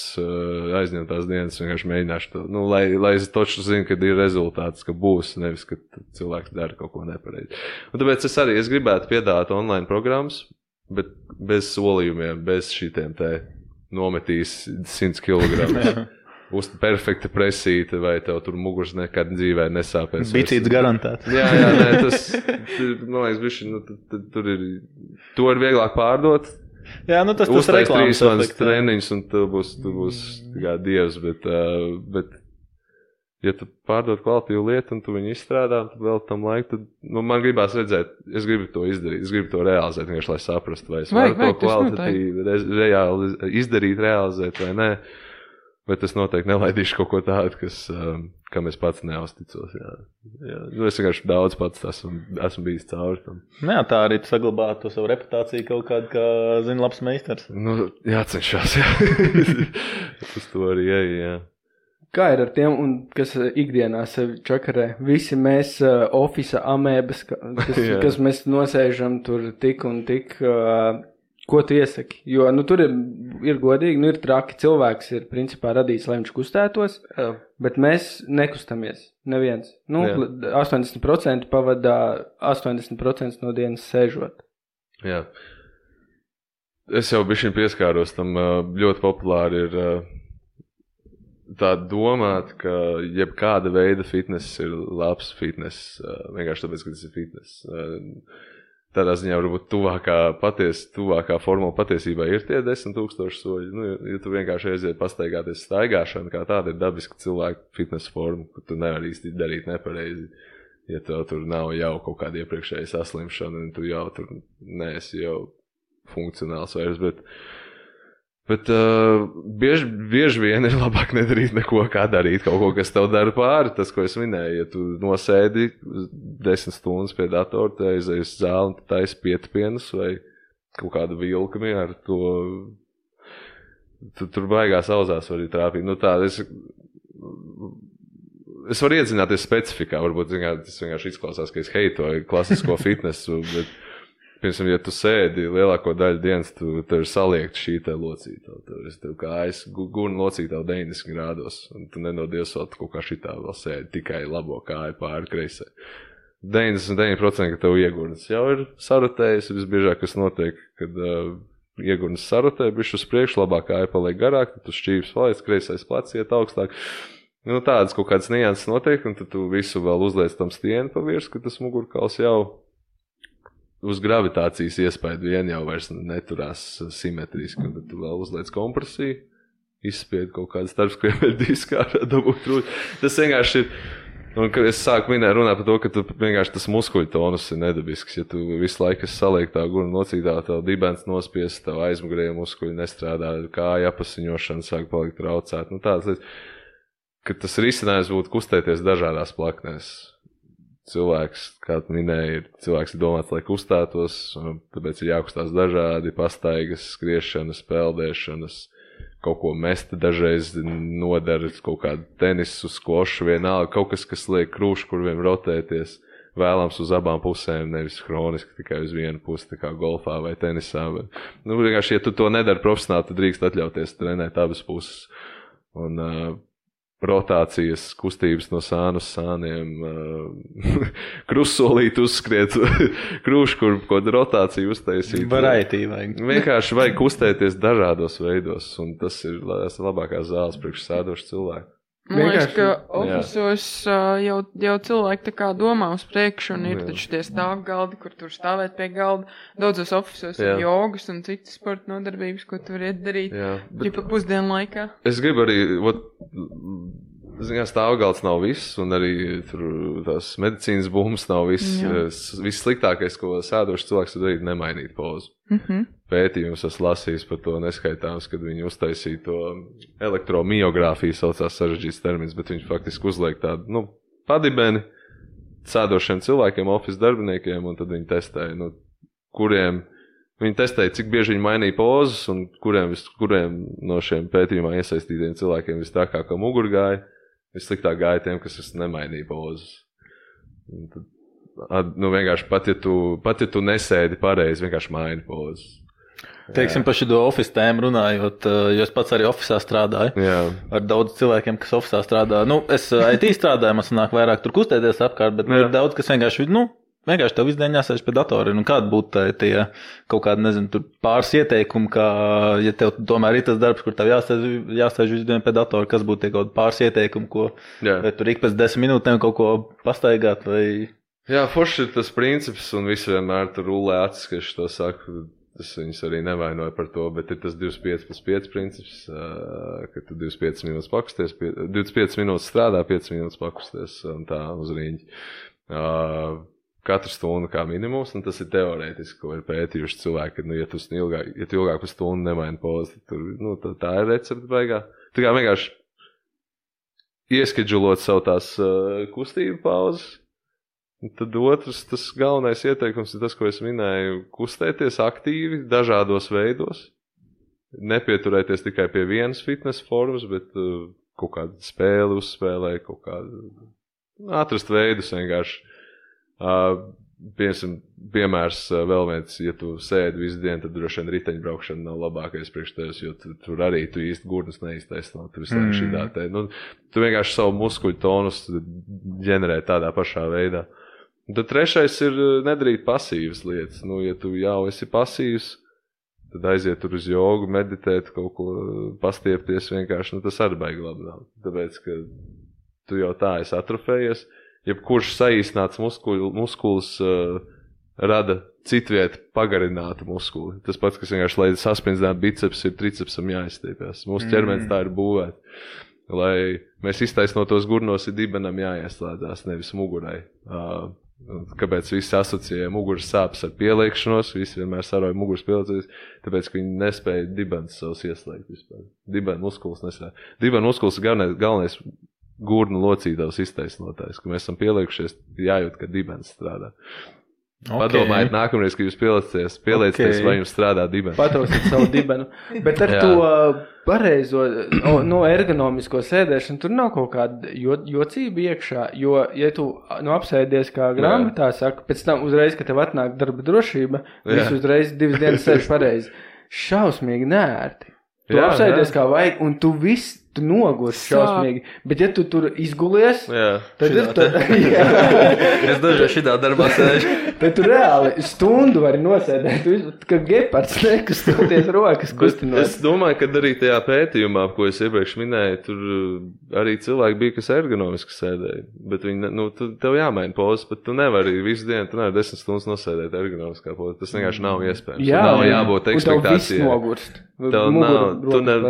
aizņemtās dienas, vienkārši mēģināšu to, lai es toču zinu, kad ir rezultāts, ka būs, nevis, ka cilvēks dara kaut ko nepareizi. Un tāpēc es gribētu piedāvāt online programmas, bet bez solījumiem, bez šitiem te nometīs 100 kg. Uz perfekta presīta, vai tev tur mugurs nekad dzīvē nesāpēs. Bicīts garantēts. Jā, nē, tas, man liekas, bišķi, tur ir, to ir vieglāk pārdot. Jā, tas reklāmas efekts. Uztais 3 treniņus, un tu būs kā dievs, bet ja tu pārdod kvalitīvu lietu, un tu viņu izstrādā, un tu vēl tam laiku, tad man gribās redzēt, es gribu to izdarīt, es gribu to realizēt, vienkārši, lai saprastu, vai es varu to kvalitatīvi reāli izdarīt, realizēt, vai nē. Bet es noteikti nelaidīšu kaut ko tādu, kam es pats neuzticos. Jā. Es vienkārši daudz pats esmu bijis cauri tam. Jā, tā arī tu saglabā to savu reputāciju kaut kādu, kā zina labs meistars. Jācenšas, jā. Uz to arī jā. Kā ir ar tiem, kas ikdienā sevi čakarē? Visi mēs ofisa amēbas, kas mēs nosēžam tur tik un tik... Ko tu iesaki? Jo, tur ir godīgi, ir traki. Cilvēks ir, principā, radījis, lai viņš kustētos, bet mēs nekustamies. Neviens. 80% pavadā 80% no dienas sēžot. Jā. Es jau bišķiņ pieskāros tam, ļoti populāri ir tā domāt, ka jebkāda veida fitness ir labs fitness, vienkārši tāpēc, ka tas ir fitness. Tādā ziņā varbūt tuvākā formula patiesībā ir tie 10,000 soļi. Ja tu vienkārši aiziet pastaigāties staigāšana, kā tāda ir dabiska cilvēka fitness forma, ka tu nevari īsti darīt nepareizi. Ja tev tur nav jau kaut kāda iepriekšēja saslimšana, un tu jau tur neesi jau funkcionāls vairs, bet bieži vien ir labāk nedarīt neko, kā darīt kaut ko, kas tev dara pāri. Tas, ko es minēju, ja tu nosēdi 10 stundas pie datora, tu aizēji uz zāli un tu taisi pietipienus vai kaut kādu vilkumi ar to, tu tur baigās auzās var arī trāpīt. Es varu iedzināties specifikā, varbūt tas vienkārši izklausās, ka es heitoju klasisko fitnesu, bet piemēram, ja tu sēdi lielāko daļu dienas, tev ir saliekta šī te locīta. Tev kājas gurna locīta 90 grādos, un tu nenodies vēl kaut kā šitā vēl sēdi tikai labo kāju pāri kreisē. 99%, ka tev iegurnas jau ir sarotējis, visbiežāk, kas notiek, kad iegurnas sarotē, bišķi uz priekšu, labā kāja paliek garāk, tad tu šķības paliec, kreisais plecs iet augstāk. Tādas kaut kādas nianses notiek, un tad tu visu vēl uzliec tam stieni pa virsmu, ka tas mugurkauls jau uz gravitācijas iespaidu vien jau vairs neturās simetriski, un tad tu vēl uzliec kompresiju, izspied kaut kādu starpskriemeļu disku ārā dabūt rūt. Tas vienkārši ir, un kad es sāku runāt par to, ka tu vienkārši tas muskuļu tonus ir nedabisks, ja tu visu laiku esi saliektā gurna locītā, tev dibens nospies, tev aizmugurējie muskuļi nestrādā, kāja apasiņošana sāk palikt traucēt. Tāds lietas, ka tas risinājums būtu kustēties dažādās plaknēs. Cilvēks, kā tu minēji, cilvēks ir domāts, lai kustētos, tāpēc ir jākustās dažādi pastaigas, skriešanas, peldēšanas, kaut ko mest dažreiz nodara, kaut kādu tenisu, skvošu, vienalga, kaut kas liek krūškurviem rotēties, vēlams uz abām pusēm, nevis hroniski tikai uz vienu pusi, tā kā golfā vai tenisā. Vienkārši, ja tu to nedari profesionāli, tad drīkst atļauties trenēt abas puses. Un rotācijas, kustības no sānu uz sāniem, krustsolīt uzskriet, krūškur, kaut rotāciju uztaisīt. Variety vajag. Vienkārši vajag kustēties dažādos veidos, un tas ir labākās zāles priekš sēdošu cilvēku. Man liekas, ka ofisos jau cilvēki tā kā domā uz priekšu, un ir taču tie stāvgaldi, kur tur stāvēt pie galda. Daudzos ofisos ir jogas un citas sporta nodarbības, ko tu vari darīt ģipa pusdienu laikā. Es gribu arī, stāvgalds nav viss, un arī tur tās medicīnas bumbas nav viss. Viss sliktākais, ko sēdošs cilvēks var darīt, nemainīt pozu. Pētījums esmu lasījis par to neskaitāms, kad viņi uztaisīja to elektromiogrāfiju, saucās sarežģīts termins, bet viņi faktiski uzliek tādu, padibeni, sēdošiem cilvēkiem, office darbiniekiem, un tad viņi testēja, nu, kuriem viņi testēja, cik bieži viņi mainīja pozas, un kuriem no šiem pētījumā iesaistītiem cilvēkiem vistrakākā mugura gāja, vissliktāk gāja tiem, kas nemainīja pozas. Tad, nu, vienkārši pat, ja tu nesēdi pareizi, vienkārši maini pozas. Teiksim, par šo office tēmu runājot, jo es pats arī officā strādāju. Ar daudz cilvēkiem, kas officā strādā. Nu, es IT strādāju, man sanāk vairāk tur kustēties apkārt, bet ir daudz, kas vienkārši tev visdien jāsēž pie datora. Un kāda būtu tie kaut kādi, nezinu, tur pāris ieteikumi, kā, ja tev tomēr ir tas darbs, kur tev jāsēž visdien pie datora, kas būtu tie kaut pāris ieteikumi, ko vai tur ik pēc 10 minūtēm kaut ko pastaigāt vai... Jā, forši ir tas princips, un visi vienmēr tur rulē acis, ka es to saku. Es viņus arī nevainoju par to, bet ir tas 25+5 princips, ka tu 25 minūtes pakusties, 25 minūtes strādā, 5 minūtes pakusties un tā uz riņķi. Katru stundu kā minimums, un tas ir teorētiski, ko ir pētījuši cilvēki, ka, ja tu ilgāk par stundu nemaini pozi, tad tā ir recepte baigā. Tā kā vienkārši ieskedžulot savu tās kustību pauzes. Tad otrs, tas galvenais ieteikums ir tas, ko es minēju, kustēties aktīvi, dažādos veidos, nepieturēties tikai pie vienas fitness formas, bet kaut kādu spēli uzspēlē, kaut kādu atrast veidus vienkārši. Piemērs vēl viens, ja tu sēdi visu dienu, tad droši vien riteņbraukšana nav labākais priekš tevis, jo tur arī tu īsti gurnas neiztaisnāt, tur vislāk šitā te. Nu, tu vienkārši savu muskuļu tonus ģenerē tādā pašā veidā. Un tad trešais ir nedarīt pasīvas lietas. Nu, ja tu jau esi pasīvs, tad aiziet tur uz jogu, meditēt, kaut ko pastiepties vienkārši, nu tas arī baigi labi nav. Tāpēc, ka tu jau tā esi atrofējies, jebkurš saīsnāts muskulis rada citviet pagarinātu muskuli. Tas pats, kas vienkārši, lai sasprindzinātu biceps, ir tricepsam jāizstiepjas. Mūsu ķermenis tā ir būvēt. Lai mēs iztaisnotos gurnos, ir dibenam jāieslēdzās, nevis mugurai. Kāpēc visi asociēja muguras sāpes ar pieliekšanos, visi vienmēr saroja muguras pieliekšanos, tāpēc, ka viņi nespēja dibenas savus ieslēgt vispār. Dibena muskulis nespēja. Dibena muskulis ir galvenais gurnu locītavs iztaisnotājs, ka mēs esam pieliekušies, jājūt, ka dibens strādā. Okay. Padomājiet nākamreiz, ka jūs pieliecieties, vai jums strādā dibens. Patrausiet savu dibenu. Bet ar to pareizo, ergonomisko sēdēšanu, tur nav kaut kāda jocība iekšā, jo, ja tu apsēdies kā grāmatā, saka, pēc tam uzreiz, ka tev atnāk darba drošība, visu uzreiz 2 dienas sēž pareizi. Šausmīgi nērti. Tu apsēdies kā vajag, un tu nogurs šausmīgi. Bet ja tu tur izgulies, tad ir tā. Es dažreiz šitā darbā sēžu. Tad tu reāli stundu vari nosēdēt, ka gepards nekustoties rokas kustinot. Es domāju, ka arī tajā pētījumā, ko es iepriekš minēju, tur arī cilvēki bija, kas ergonomiski sēdēja. Bet viņi, tev jāmaina pozas, bet tu nevari visu dienu, tu nevari 10 stundas nosēdēt ergonomiskā pozas. Tas vienkārši nav iespējams. Nav jābūt ekspektācijai. Un tev viss nogurst.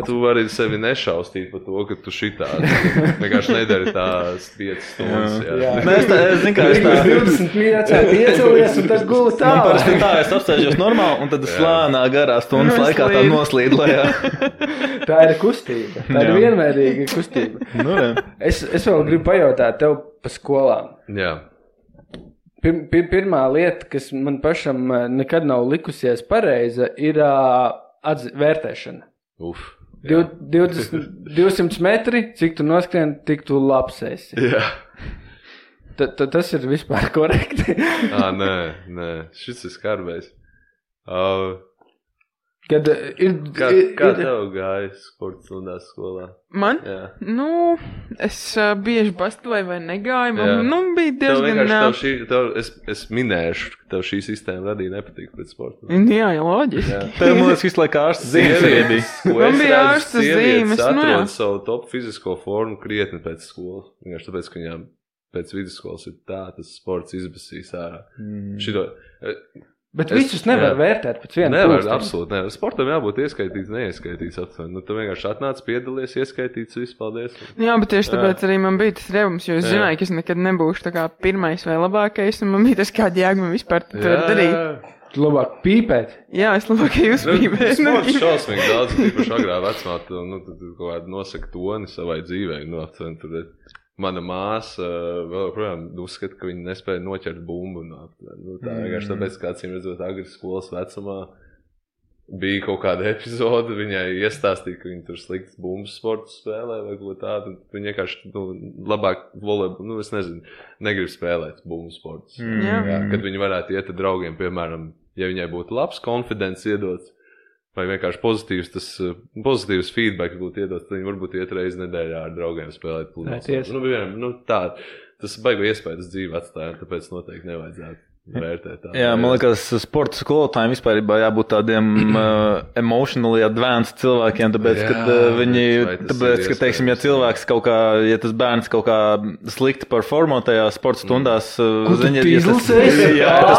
Tu vari sevi nešaustīt par to, ka tu šitādi vienkārši nedari tās 5 stundas. Es zinu, kā es tā 20 minūtē piecelies un tad guli tā. Man parasti tā, es apsēžos normāli un tad slānā garā stundas laikā tā noslīd lejā. Tā ir kustība. Tā ir vienmērīga kustība. Es vēl gribu pajautāt tev pa skolām. Jā. Pirmā lieta, kas man pašam nekad nav likusies pareiza, ir vērtēšana. 200 metri, cik tu noskrien, tik tu labs esi. Jā. Tas ir vispār korekti. Nē. Šis ir skarbējs. Kā tev gāja sports stundās skolā? Man? Jā. Es bieži bastoju vai negāju. Man bija diezgan... Es minēšu, ka tev šī sistēma radīja nepatīk pret sportu. Jā, loģiski. Tev mūs visu laiku ārstas zīmes. Man bija ārstas zīmes. Atrod savu top fizisko formu krietni pēc skolas. Vienkārši tāpēc, ka viņām pēc vidusskolas ir tas sports izbasīs ārā. Bet visus nevar vērtēt pēc viena nevar, absolūti nevar. Sportam jābūt ieskaitīts, neieskaitīts aptuveni. Tu vienkārši atnāc, piedalies, ieskaitīts, viss, paldies. Jā, bet tieši tāpēc arī man bija tas revums, jo es zināju, ka es nekad nebūšu tā kā pirmais vai labākais, un man bija tas kādi jēga man vispār darīt. Tu labāk pīpēt? Jā, es labāk jūs pīpēt. Sports šausmīgi daudz, tīpaši agrā vecumā, tu kaut kādu nosaka toni savai dzīvei, aptuveni tur. mana māsa vēl projām uzskata, ka viņa nespēja noķert bumbu. Tā vienkārši tāpēc, kā acīm redzot agri skolas vecumā, bija kaut kāda epizode, viņai iestāstīja, ka viņa tur sliktas bumbas sportu spēlē vai ko tādu. Viņa vienkārši labāk volejbolu, es nezinu, negrib spēlēt bumbu sportus. Kad viņi varētu iet ar draugiem, piemēram, ja viņai būtu labs konfidents iedots, vai vienkārši pozitīvs feedback būtu iedots, tad viņi varbūt iet reizi nedēļā ar draugiem spēlēt pludmales. Tas baigo iespējas dzīvi atstāja, tāpēc noteikti nevajadzētu vērtēt tā. Jā, man liekas, sporta skolotājiem vispār jābūt tādiem emotionally advanced cilvēkiem, tāpēc, ka teiksim, ja cilvēks kaut kā, ja tas bērns kaut kā slikti performo tajā sporta stundās, tas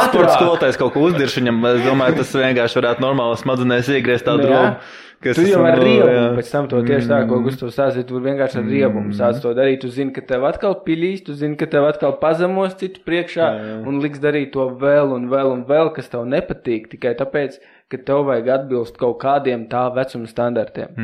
sporta skolotājs kaut ko uzdirš viņam, es domāju, tas vienkārši varētu normāli smadzenēs iegriezt tādu robu. Tu jau ar riebumu pēc tam to tieši tā, ko Gustavs stāstīja, tu vienkārši ar riebumu sāc to darīt. Tu zini, ka tev atkal pilīs, tu zini, ka tev atkal pazemos citu priekšā un liks darīt to vēl un vēl un vēl, kas tev nepatīk, tikai tāpēc, ka tev vajag atbilst kaut kādiem tā vecuma standartiem.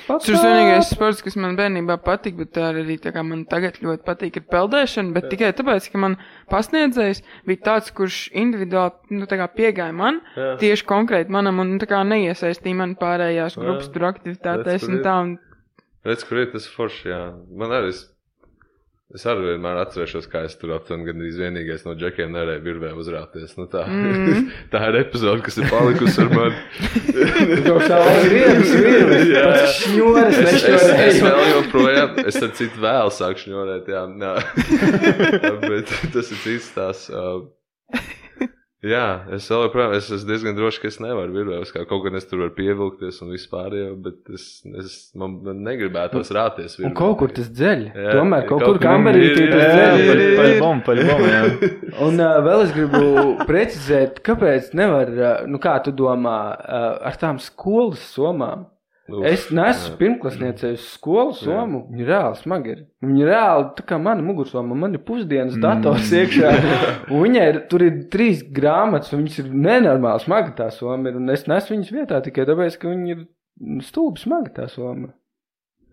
Tas ir vienīgais sports, kas man bērnībā patīk, bet arī tā kā man tagad ļoti patīk ir peldēšana, bet tikai tāpēc, ka man pasniedzējs bija tāds, kurš individuāli tā kā piegāja man, tieši konkrēti manam un tā kā neiesaistīja man pārējās grupas tur aktivitātēs un tā. Redz, kur ir tas forši, jā. Man arī es arī vienmēr atcerēšos, kā es tur aptuveni gandrīz vienīgais no džekiem nevarēju virvē uzrāpties. Tā ir epizode, kas ir palikusi ar mani. Es vēl joprojām, es ar citu vēl sāku šņorēt, jā. Bet tas ir cits tās. Jā, es vēl joprojām, es esmu diezgan droši, ka es nevaru virvēs, kaut gan es tur varu pievilkties un vispār jau, bet man negribētos rāties virvē. Un kaut kur tas dzeļ. Tomēr kaut kur kamberītī tas dzeļ. Paļbom, jā. Un vēl es gribu precizēt, kāpēc nevar, kā tu domā, ar tām skolas somām? Es neesmu pirmklasniecei uz skolu somu, viņi reāli smagi ir. Viņi reāli, tā kā mana mugursoma, man ir pusdienas dators iekšā, un viņai tur ir 3 grāmatas, un viņas ir nenormāli smagi tā soma ir, un es nesu viņas vietā tikai tāpēc, ka viņi ir stūbi smagi tā soma.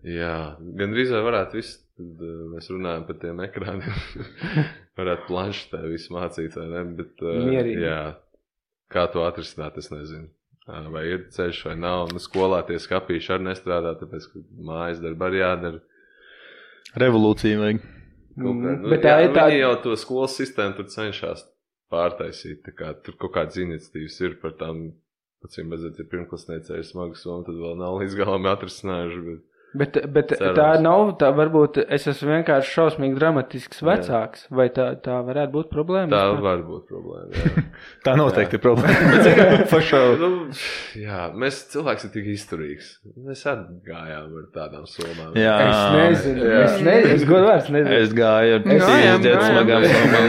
Jā, gan drīzāk varētu viss, tad mēs runājam par tiem ekrāniem, varētu planšetē visu mācīt, vai ne, bet jā, kā to atrisināt, es nezinu. Vai ir ceļš vai nav, skolā tie skapīši arī nestrādā, tāpēc, ka mājas darba arī jādara. Revolūcija vajag. Bet viņi jau to skolas sistēmu tur cenšas pārtaisīt, tā kā tur kaut kāds iniciatīvas ir par tām, acīm redzēt, ja pirmklasniecei ir smagas un tad vēl nav līdz galam atrisinājuši, Bet tā nav, tā varbūt es esmu vienkārši šausmīgi dramatisks vecāks, vai tā varētu būt problēma? Tā var būt problēma, jā. Tā noteikti ir problēma. Jā, mēs cilvēks ir tik izturīgs. Mēs arī gājām ar tādām somām. Jā. Es nezinu, es godvārds nezinu. Es gāju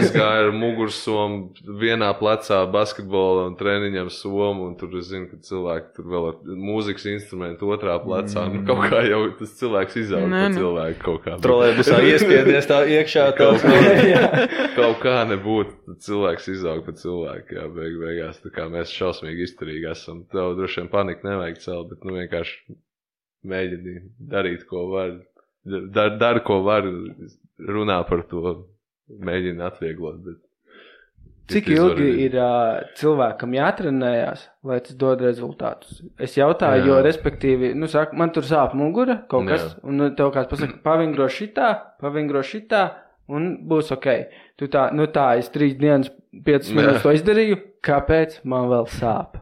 Es gāju ar mugursomu vienā plecā basketbola un treniņam somu, un tur es zinu, ka cilvēki tur vēl ar mūzikas instrumentu otrā plecā, kaut kā jau tas cilvēks izaug pa cilvēku kaut kā. Trolēbusā iespiedies tā iekšā kaut kā nebūtu, cilvēks izaug pa cilvēku, jā, beigās, tā kā mēs šausmīgi izturīgi esam. Tev droši vien paniku nevajag celt, bet vienkārši mēģini darīt, ko var, dar, ko var, runā par to, mēģini atvieglot, bet cik ilgi ir cilvēkam jātrenējās, lai tas dod rezultātus? Es jautāju, jo respektīvi, saka, man tur sāp mugura kaut kas, un tev kāds pasaka, pavingro šitā, un būs ok. Tu tā, es 3 dienas, 5 minūtes to izdarīju, kāpēc man vēl sāp?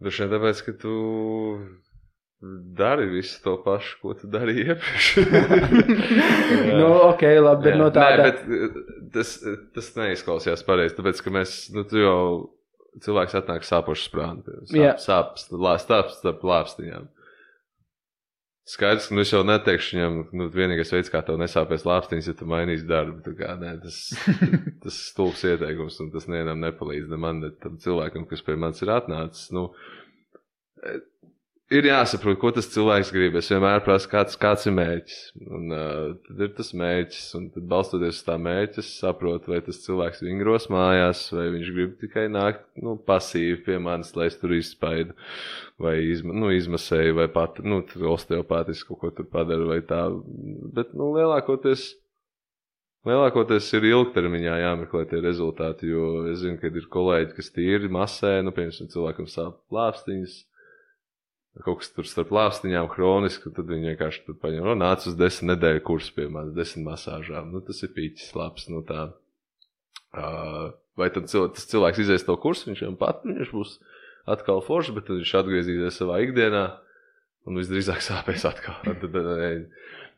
Droši vien tāpēc, ka tu dari visu to pašu, ko tu darīji iepriekš. Ok, labi, bet no tāda... Nē, bet tas neizklausījās pareizi, tāpēc, ka mēs, tu jau cilvēks atnāk sāpošu sprānu, sāps starp lāpstiņām. Skaidrs, ka es jau neteikšu viņam, vienīgais veids, kā tev nesāpēs lāpstiņas, ja tu mainīsi darbu. Tā kā, tas stulbs ieteikums, un tas nevienam nepalīdz, ne man, ne tam cilvēkam, kas pie manis ir atnācis. Ir jāsaprot, ko tas cilvēks grib. Es vienmēr prasu, kāds ir mērķis. Un tad ir tas mērķis, un tad balstoties uz tā mērķis, saprot, vai tas cilvēks vingros mājās, vai viņš grib tikai nākt pasīvi pie manis, lai es tur izspaidu, vai izmasēju, vai pat osteopātiski kaut ko tur padaru, vai tā. Bet lielākoties Lielākoties ir ilgtermiņā jāmeklē tie rezultāti, jo es zinu, ka ir kolēģi, kas tīri masē, piemēram, cilvēkam sāp lāpstiņas, kaut kas tur starp lāpstiņām hroniski, tad viņi vienkārši tur paņem, nāc uz 10 nedēļu kursu, piemēram, 10 masāžām, tas ir pīķis labs, tā. Vai tad tas cilvēks izies to kursu, viņš būs atkal foršs, bet tad viņš atgriezīsies savā ikdienā, un visdrīzāk sāpēs atkal.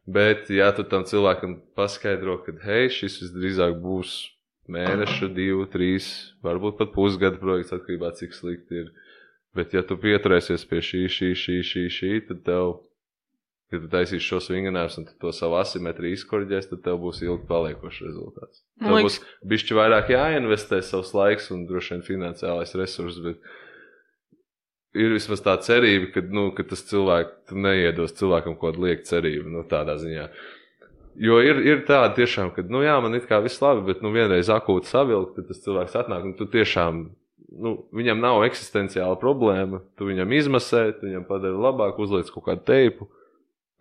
Bet, ja tu tam cilvēkam paskaidro, ka, hei, šis visdrīzāk būs mēneša, 2, 3, varbūt pat pusgada projekts, atkarībā cik slikti ir. Bet, ja tu pieturēsies pie šī, tad tev, ja tu taisīsi šos vinganājums un to savu asimetriju izkorģēs, tad tev būs ilgi paliekošs rezultāts. Tev būs bišķi vairāk jāinvestē savs laiks un droši vien finansiālais resurss, bet ir vismaz tā cerība, ka tas tu neiedos cilvēkam kaut liek cerību, tādā ziņā. Jo ir tāda tiešām, ka, man it kā viss labi, bet, vienreiz akūti savilkt, tad tas cilvēks atnāk, un tu tiešām, viņam nav eksistenciāla problēma, tu viņam izmasē, tu viņam padari labāk, uzliec kaut kādu teipu,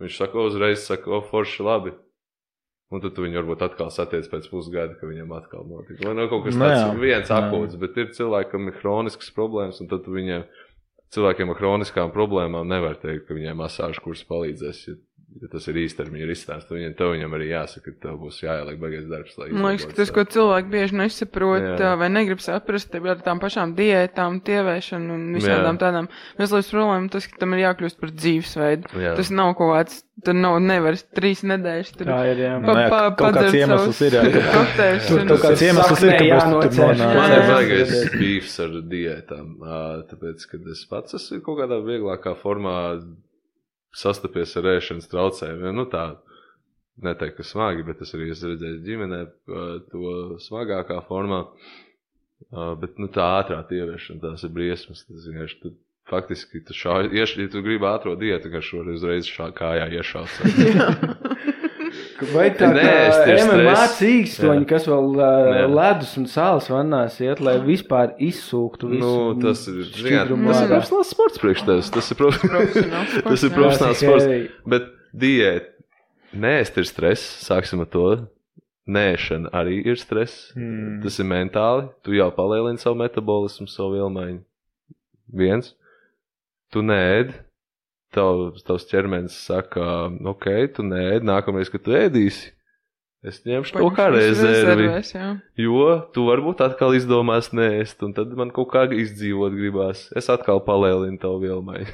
viņš uzreiz saka, forši labi, un tad tu viņu varbūt atkal satiec pēc pusgada, ka viņam atkal notika. Vai kaut kas tāds viens akūts, bet ir cilvēkam ir hroniskas problēmas, un tad tu cilvēkiem ar hroniskām problēmām nevar teikt, ka viņiem masāžu kurs palīdzēs, ja tas ir īstermiņa risinājums, tad viņam arī jāsaka, ka tev būs jāieliek baigais darbs. Man liekas, ka tas, ko cilvēki bieži nesaprot vai negrib saprast, ar tām pašām diētām, tievēšanu un visādām tādām veselības problēmām, tas, ka tam ir jākļūst par dzīvesveidu. Tas nav kaut kāds, tur nevar 3 nedēļas tur kāds iemesls ir, kāds iemesls ir, kāpēc man ir baigais bīfs ar diētām, tāpēc, kad es pats esmu kaut kādā vieglākā formā sastapies ar ēšanas traucējumiem, tā neteikt, ka smagi, bet es arī esmu redzējis ģimenē to smagākā formā, bet, tā ātrā tieviešana, tās ir briesmas, tas vienkārši, faktiski, ja tu gribi ātro diētu, ka šoreiz uzreiz kājā iešauts. Vai tā MMA cīkstoņi, kas vēl ledus un sāls vannās iet, lai vispār izsūktu visu šķidrumu? Tas ir profesionāls sports priekš tevis. Tas ir profesionāls sports. Bet diēta, neēst ir stress, sāksim ar to. Nēšana arī ir stress. Tas ir mentāli. Tu jau palielini savu metabolismu, savu vielmaiņu. 1. Tu neēd. Tavs ķermenis saka, ok, tu neēd, nākamreiz, kad tu ēdīsi, es ņemšu to kā rezervi, jo tu varbūt atkal izdomās neēst, un tad man kaut kā izdzīvot gribās. Es atkal palielinu tavu vielmaiņu.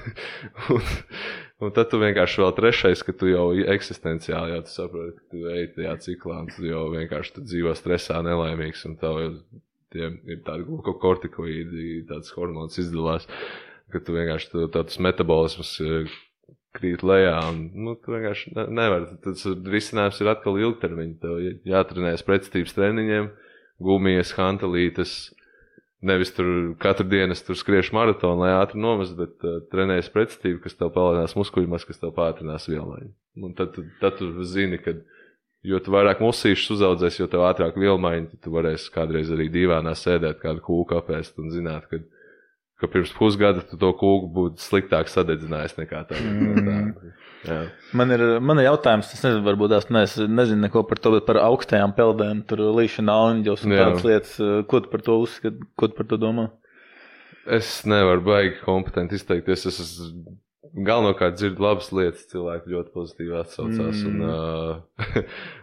un tad tu vienkārši vēl 3, ka tu jau eksistenciāli, jau tu saproti, ka tu ej tajā ciklā, un tu jau vienkārši tu dzīvo stresā nelaimīgs, un tev ir tādi glukokortikoīdi, tāds hormons izdalās. Ka tu vienkārši tāds metabolisms krīt lejā, un tu vienkārši nevar. Tas risinājums ir atkal ilgtermiņa. Tev jātrenējas pretstības treniņiem, gumijas, hantelītes, nevis tur katru dienu tur skriešu maratonu, lai ātri nomest, bet trenējas pretstību, kas tev palielinās muskuļmas, kas tev pātrinās vielmaiņu. Un tad tu zini, ka jo tu vairāk musīšus uzaudzēs, jo tev ātrāk vielmaiņu, tu varēsi kādreiz arī dīvānā sēdēt, kādu kūku apēst un zināt, ka pirms pusgada tu to kūku būtu sliktāk sadedzinājis nekā tā. Man ir jautājums, es nezinu, varbūt nezinu neko par to, bet par augstajām peldēm, tur līšana aunģos un tādas lietas. Ko tu par to uzskati, ko tu par to domā? Es nevaru baigi kompetenti izteikties, es galvenokārt dzirdu labas lietas, cilvēki ļoti pozitīvi atsaucās, un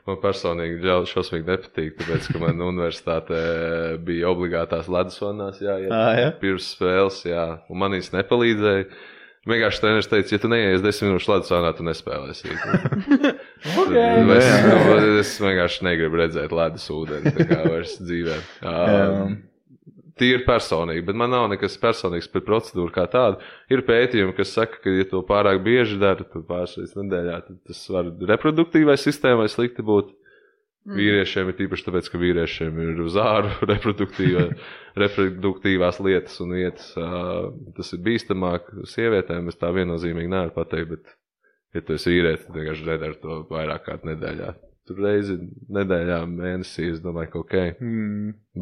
man personīgi šausmīgi nepatīk, tāpēc, ka man universitātē bija obligātās ledus vannās pirms spēles, un man viņas nepalīdzēja. Vienkārši treneris teica, ja tu neies 10 minūšu ledus vannā, tu nespēlēsi. Es vienkārši negribu redzēt ledus ūdeni, tā kā vairs dzīvē. Tīri personīgi, bet man nav nekas personīgs par procedūru kā tādu. Ir pētījumi, kas saka, ka, ja to pārāk bieži dara, tad pāris reizes nedēļā, tad tas var reproduktīvai sistēmai slikti būt. Vīriešiem ir tīpaši tāpēc, ka vīriešiem ir uz āru reproduktīvās lietas un vietas. Tas ir bīstamāk sievietēm, es tā viennozīmīgi nevaru pateikt, bet, ja tu esi vīrietis, tad vienkārši nedara to vairāk kārt nedēļā. Tur reizi nedēļā, mēnesī, es domāju, ka ok.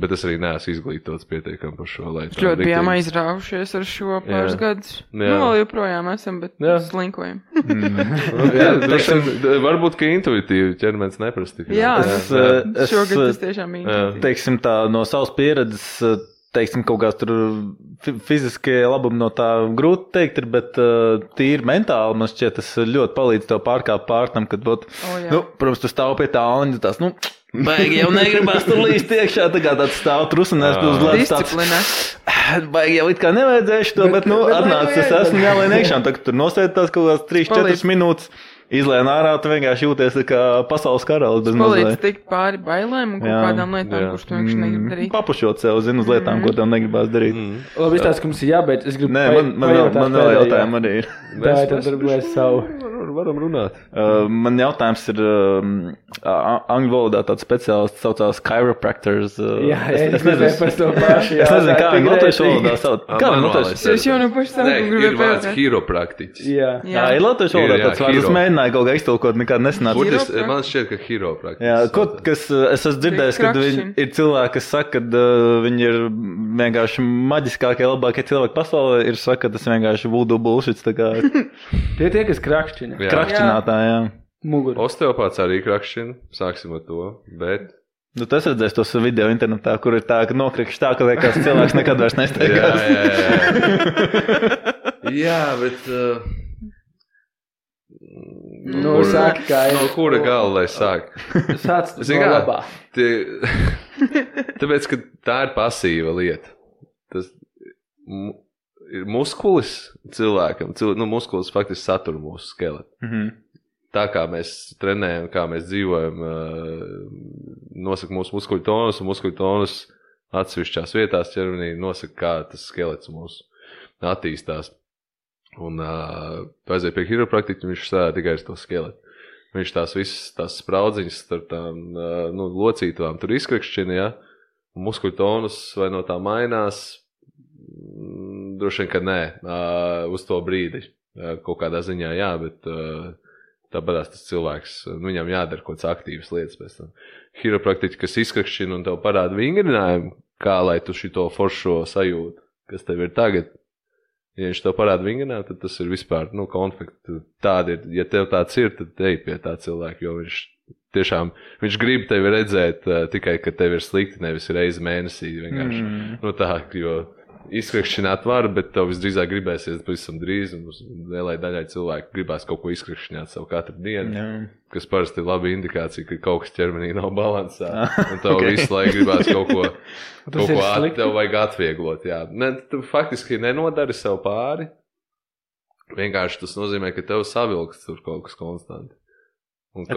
Bet es arī neesmu izglītots pietiekami par šo. Ļoti bijām aizrāvušies ar šo pāris gadus. Vēl joprojām esam, bet slinkojam. Varbūt, ka intuitīvi ķermenis neprasti. Jā, šogad tas tiešām intuitīvi. Teiksim tā, no savas pieredzes, teiksim, kaut kāds tur fiziskie labumi no tā grūti teikt ir, bet tīri mentāli man šķiet, tas ļoti palīdz tev pārkāpt pārtam, kad, protams, tu stāv pie tā un tās, baigi jau negribās tur līst iekšā, tāds stāv trusinās, tu uzlēs tāds. Baigi jau it kā nevajadzēšu to, bet, atnāc, es esmu jālien iekšā, un tagad tur nosēd tās kaut kāds 3-4 minūtes. Izlēn ārā, tu vienkārši jūties kā pasaules karalis. Palīdz tikt pāri bailēm un kaut kādām lietām, kurš tu vienkārši negrib darīt. Papušot sev, uz lietām, ko tev negribās darīt. Labi, izstāst, ka mums ir jābeidz. Es gribu man vēl jautājumi arī ir. Tad darbojas savu. Varam runāt. Man jautājums ir angļu valodā tāds speciālists saucās chiropractors. Jā, es nezinu par to pašu. Es nezinu, kā viņi latviešu valodā sauc. Kā viņi latviešu? Es jau no pašu sākumu gribēju ir vārds chiropraktiķis. Jā, ir latviešu valodā tāds vārds. Es mēģināju kaut kā iztulkot, nekād nesanāca. Man šķiet, ka chiropraktiķis. Jā, es esmu dzirdējis, ka ir cilvēki, kas saka, ka viņi ir vienkārši maģiskākie, labākie cilvēki pasaulē, ir saka, ka tas vienkārši voodoo bullshit. Tie, kas krakšķina. Krakšķinātāji, jā. Muguru. Osteopāts arī krakšķina, sāksim ar to, bet... Tu redzēsi tos video internetā, kur ir tā, ka nokrikšķi tā, ka liekas cilvēks nekad vairs nesteigās. Jā, bet... Sāki kā no kura gala, lai sāk? Sāc no labā. Tāpēc, ka tā ir pasīva lieta. Tas ir muskulis cilvēkam. Muskulis faktiski satur mūsu skeletu. Tā kā mēs trenējam, kā mēs dzīvojam, nosaka mūsu muskuļu tonus, un muskuļu tonus atsevišķās vietās ķermenī nosaka, kā tas skelets mūsu attīstās. Un aiziet pie chiropraktiķa, viņš strādā tikai ar to skeletu. Viņš tās visas tās spraudziņas starp tām locītavām tur izkrakšķina, ja? Un muskuļu tonus vai no tā mainās, droši vien, ka nē, uz to brīdi. Kaut kādā ziņā jā, bet tāpēc tas cilvēks, viņam jādara kaut kāds aktīvas lietas pēc tam. Chiropraktiķi, kas izkrakšķina un tev parāda vingrinājumu, kā lai tu šito foršo sajūtu, kas tev ir tagad. Ja viņš tev parāda vingrinājumu, tad tas ir vispār, konflikti. Tādi ir, ja tev tāds ir, tad ej pie tā cilvēka, jo viņš grib tevi redzēt tikai, ka tev ir slikti, nevis reizi mēnesī vienkārši. Tā, jo izkrakšķināt var, bet tev visdrīzāk gribēsies pavisam drīz, un lielai daļai cilvēku gribēs kaut ko izkrakšķināt savu katru dienu, kas parasti ir laba indikācija, ka kaut kas ķermenī nav balansā, un tev visu laiku gribēs kaut ko tev vajag atvieglot, jā. Tu faktiski nenodari sev pāri, vienkārši tas nozīmē, ka tev savilks tur kaut kas konstanti.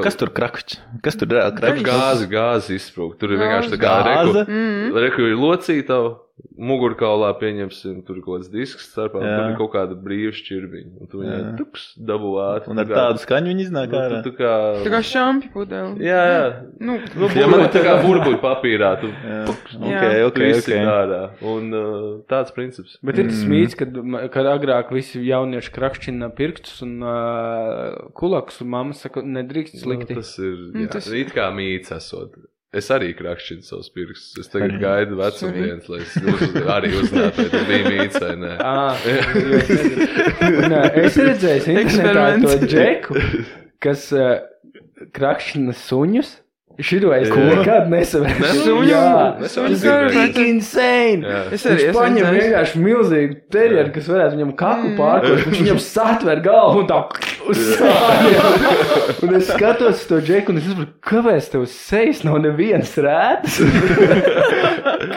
Kas tur krakšķi? Kas tur reāli krakšķi? Gāzi izsprūk. Tur ir vienkārši tā kā reku ir locītava, mugurkaulā pieņemsim, tur ir kaut kāds disks starpā, un tur ir kaut kāda brīva šķirbiņa. Un tu viņai tuks dabū ātri. Un ar tādu skaņu viņi iznāk ārā. Tā kā šampi pudeli. Jā. Tā kā burbuļu papīrā. Tu visi ārā. Un tāds princips. Bet ir tas mīts, kad agrāk visi jaunieši krakšķina pirkstus un kulakus, un mamma saka, nedrīkst slikti. Tas ir it kā mīts esot. Es arī krakšķinu savus pirkstus. Es tagad gaidu vecumdienas, lai es arī uzzinātu, vai tas bija mīts vai nē. Es redzēju internetā to džeku, kas krakšķina suņus. Šito es nekad nesavēju. Tas ir insane. Es paņemu vienkārši milzīgu terjeru, kas varētu viņam kaku pārkost, viņš viņam satver galvu un tā uzsāja. Un es skatos to džeku un es saprotu, kāpēc tev sejas nav nevienas rētas?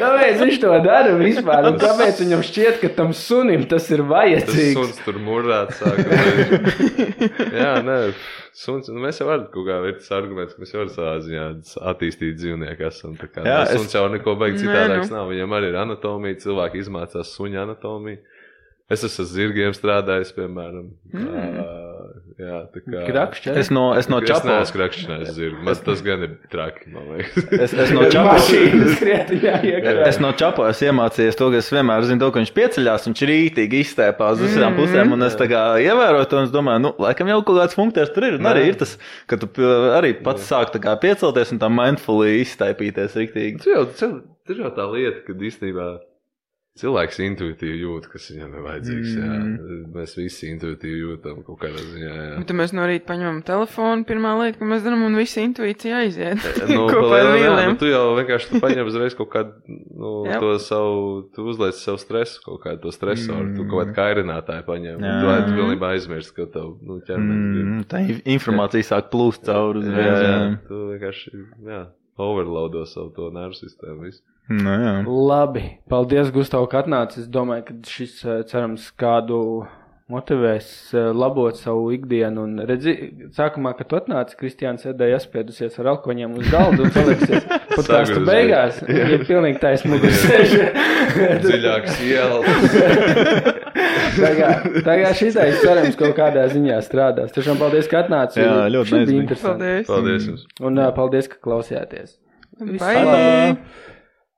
Kāpēc viņš to dara vispār? Un kāpēc viņam šķiet, ka tam sunim tas ir vajadzīgs? Tas suns tur murrāt sāka. Jā, nē. Suns, mēs jau varam kaut kā ir tas arguments, ka mēs jau varam savā ziņā attīstīt dzīvnieku esam. Suns jau neko baigi citādāks nav. Viņam arī ir anatomija, cilvēki izmācās suņa anatomiju. Es esmu zirgiem strādājis, piemēram. Jā, tā kā... Krakšķi? Es no Čapo... Es neesmu krakšķinājis zirgu. Tas gan ir traki, man liekas. Es no Čapo... Es no Čapo esmu iemācījies to, ka es vienmēr zinu to, ka viņš pieceļās, viņš rītīgi izstēpās uz visām pusēm, un es tā kā ievēroju to, un es domāju, laikam jau kaut kāds funkcijas tur ir, un arī ir tas, ka tu arī pats sāk tā kā piecelties un tā mindfully izstēpīties riktīgi. Tas jau tā lieta, kad īstenībā cilvēks intuitīvi jūt, kas viņam ir vajadzīgs, jā. Mēs visi intuitīvi jūtam kaut kādā ziņā, jā. Bet mēs no rīta paņemam telefonu, pirmā lieta, ko mēs darām, un visi intuīcija aiziet. Kopā ar vīliem. Tu jau vienkārši paņem uzreiz kaut kādu, to savu, tu uzliec savu stresu, kaut kādu to stresoru, tu kaut kādu kairinātāju paņem, un tu pilnībā aizmirst, ka tev, ķermenis. Tā informācija sāk plūst cauri uzreiz. Jā, tu vienkārši, overloado savu to nervu sistēmu visu. Nu, jā. Labi, paldies, Gustav, ka atnāc. Es domāju, ka šis cerams kādu motivēs labot savu ikdienu. Un redzi, sākumā, kad tu atnāci, Kristiāns sēdēja aspiedusies ar alkoņiem uz galdu un paliksies podcastu beigās. Ir pilnīgi taisnīgi sēž. Dziļāks ielas. Tagad šitais cerams kaut kādā ziņā strādās. Tiešām paldies, ka atnāci. Jā, ļoti interesanti. Paldies jums. Un paldies, ka klausījāties. Bye.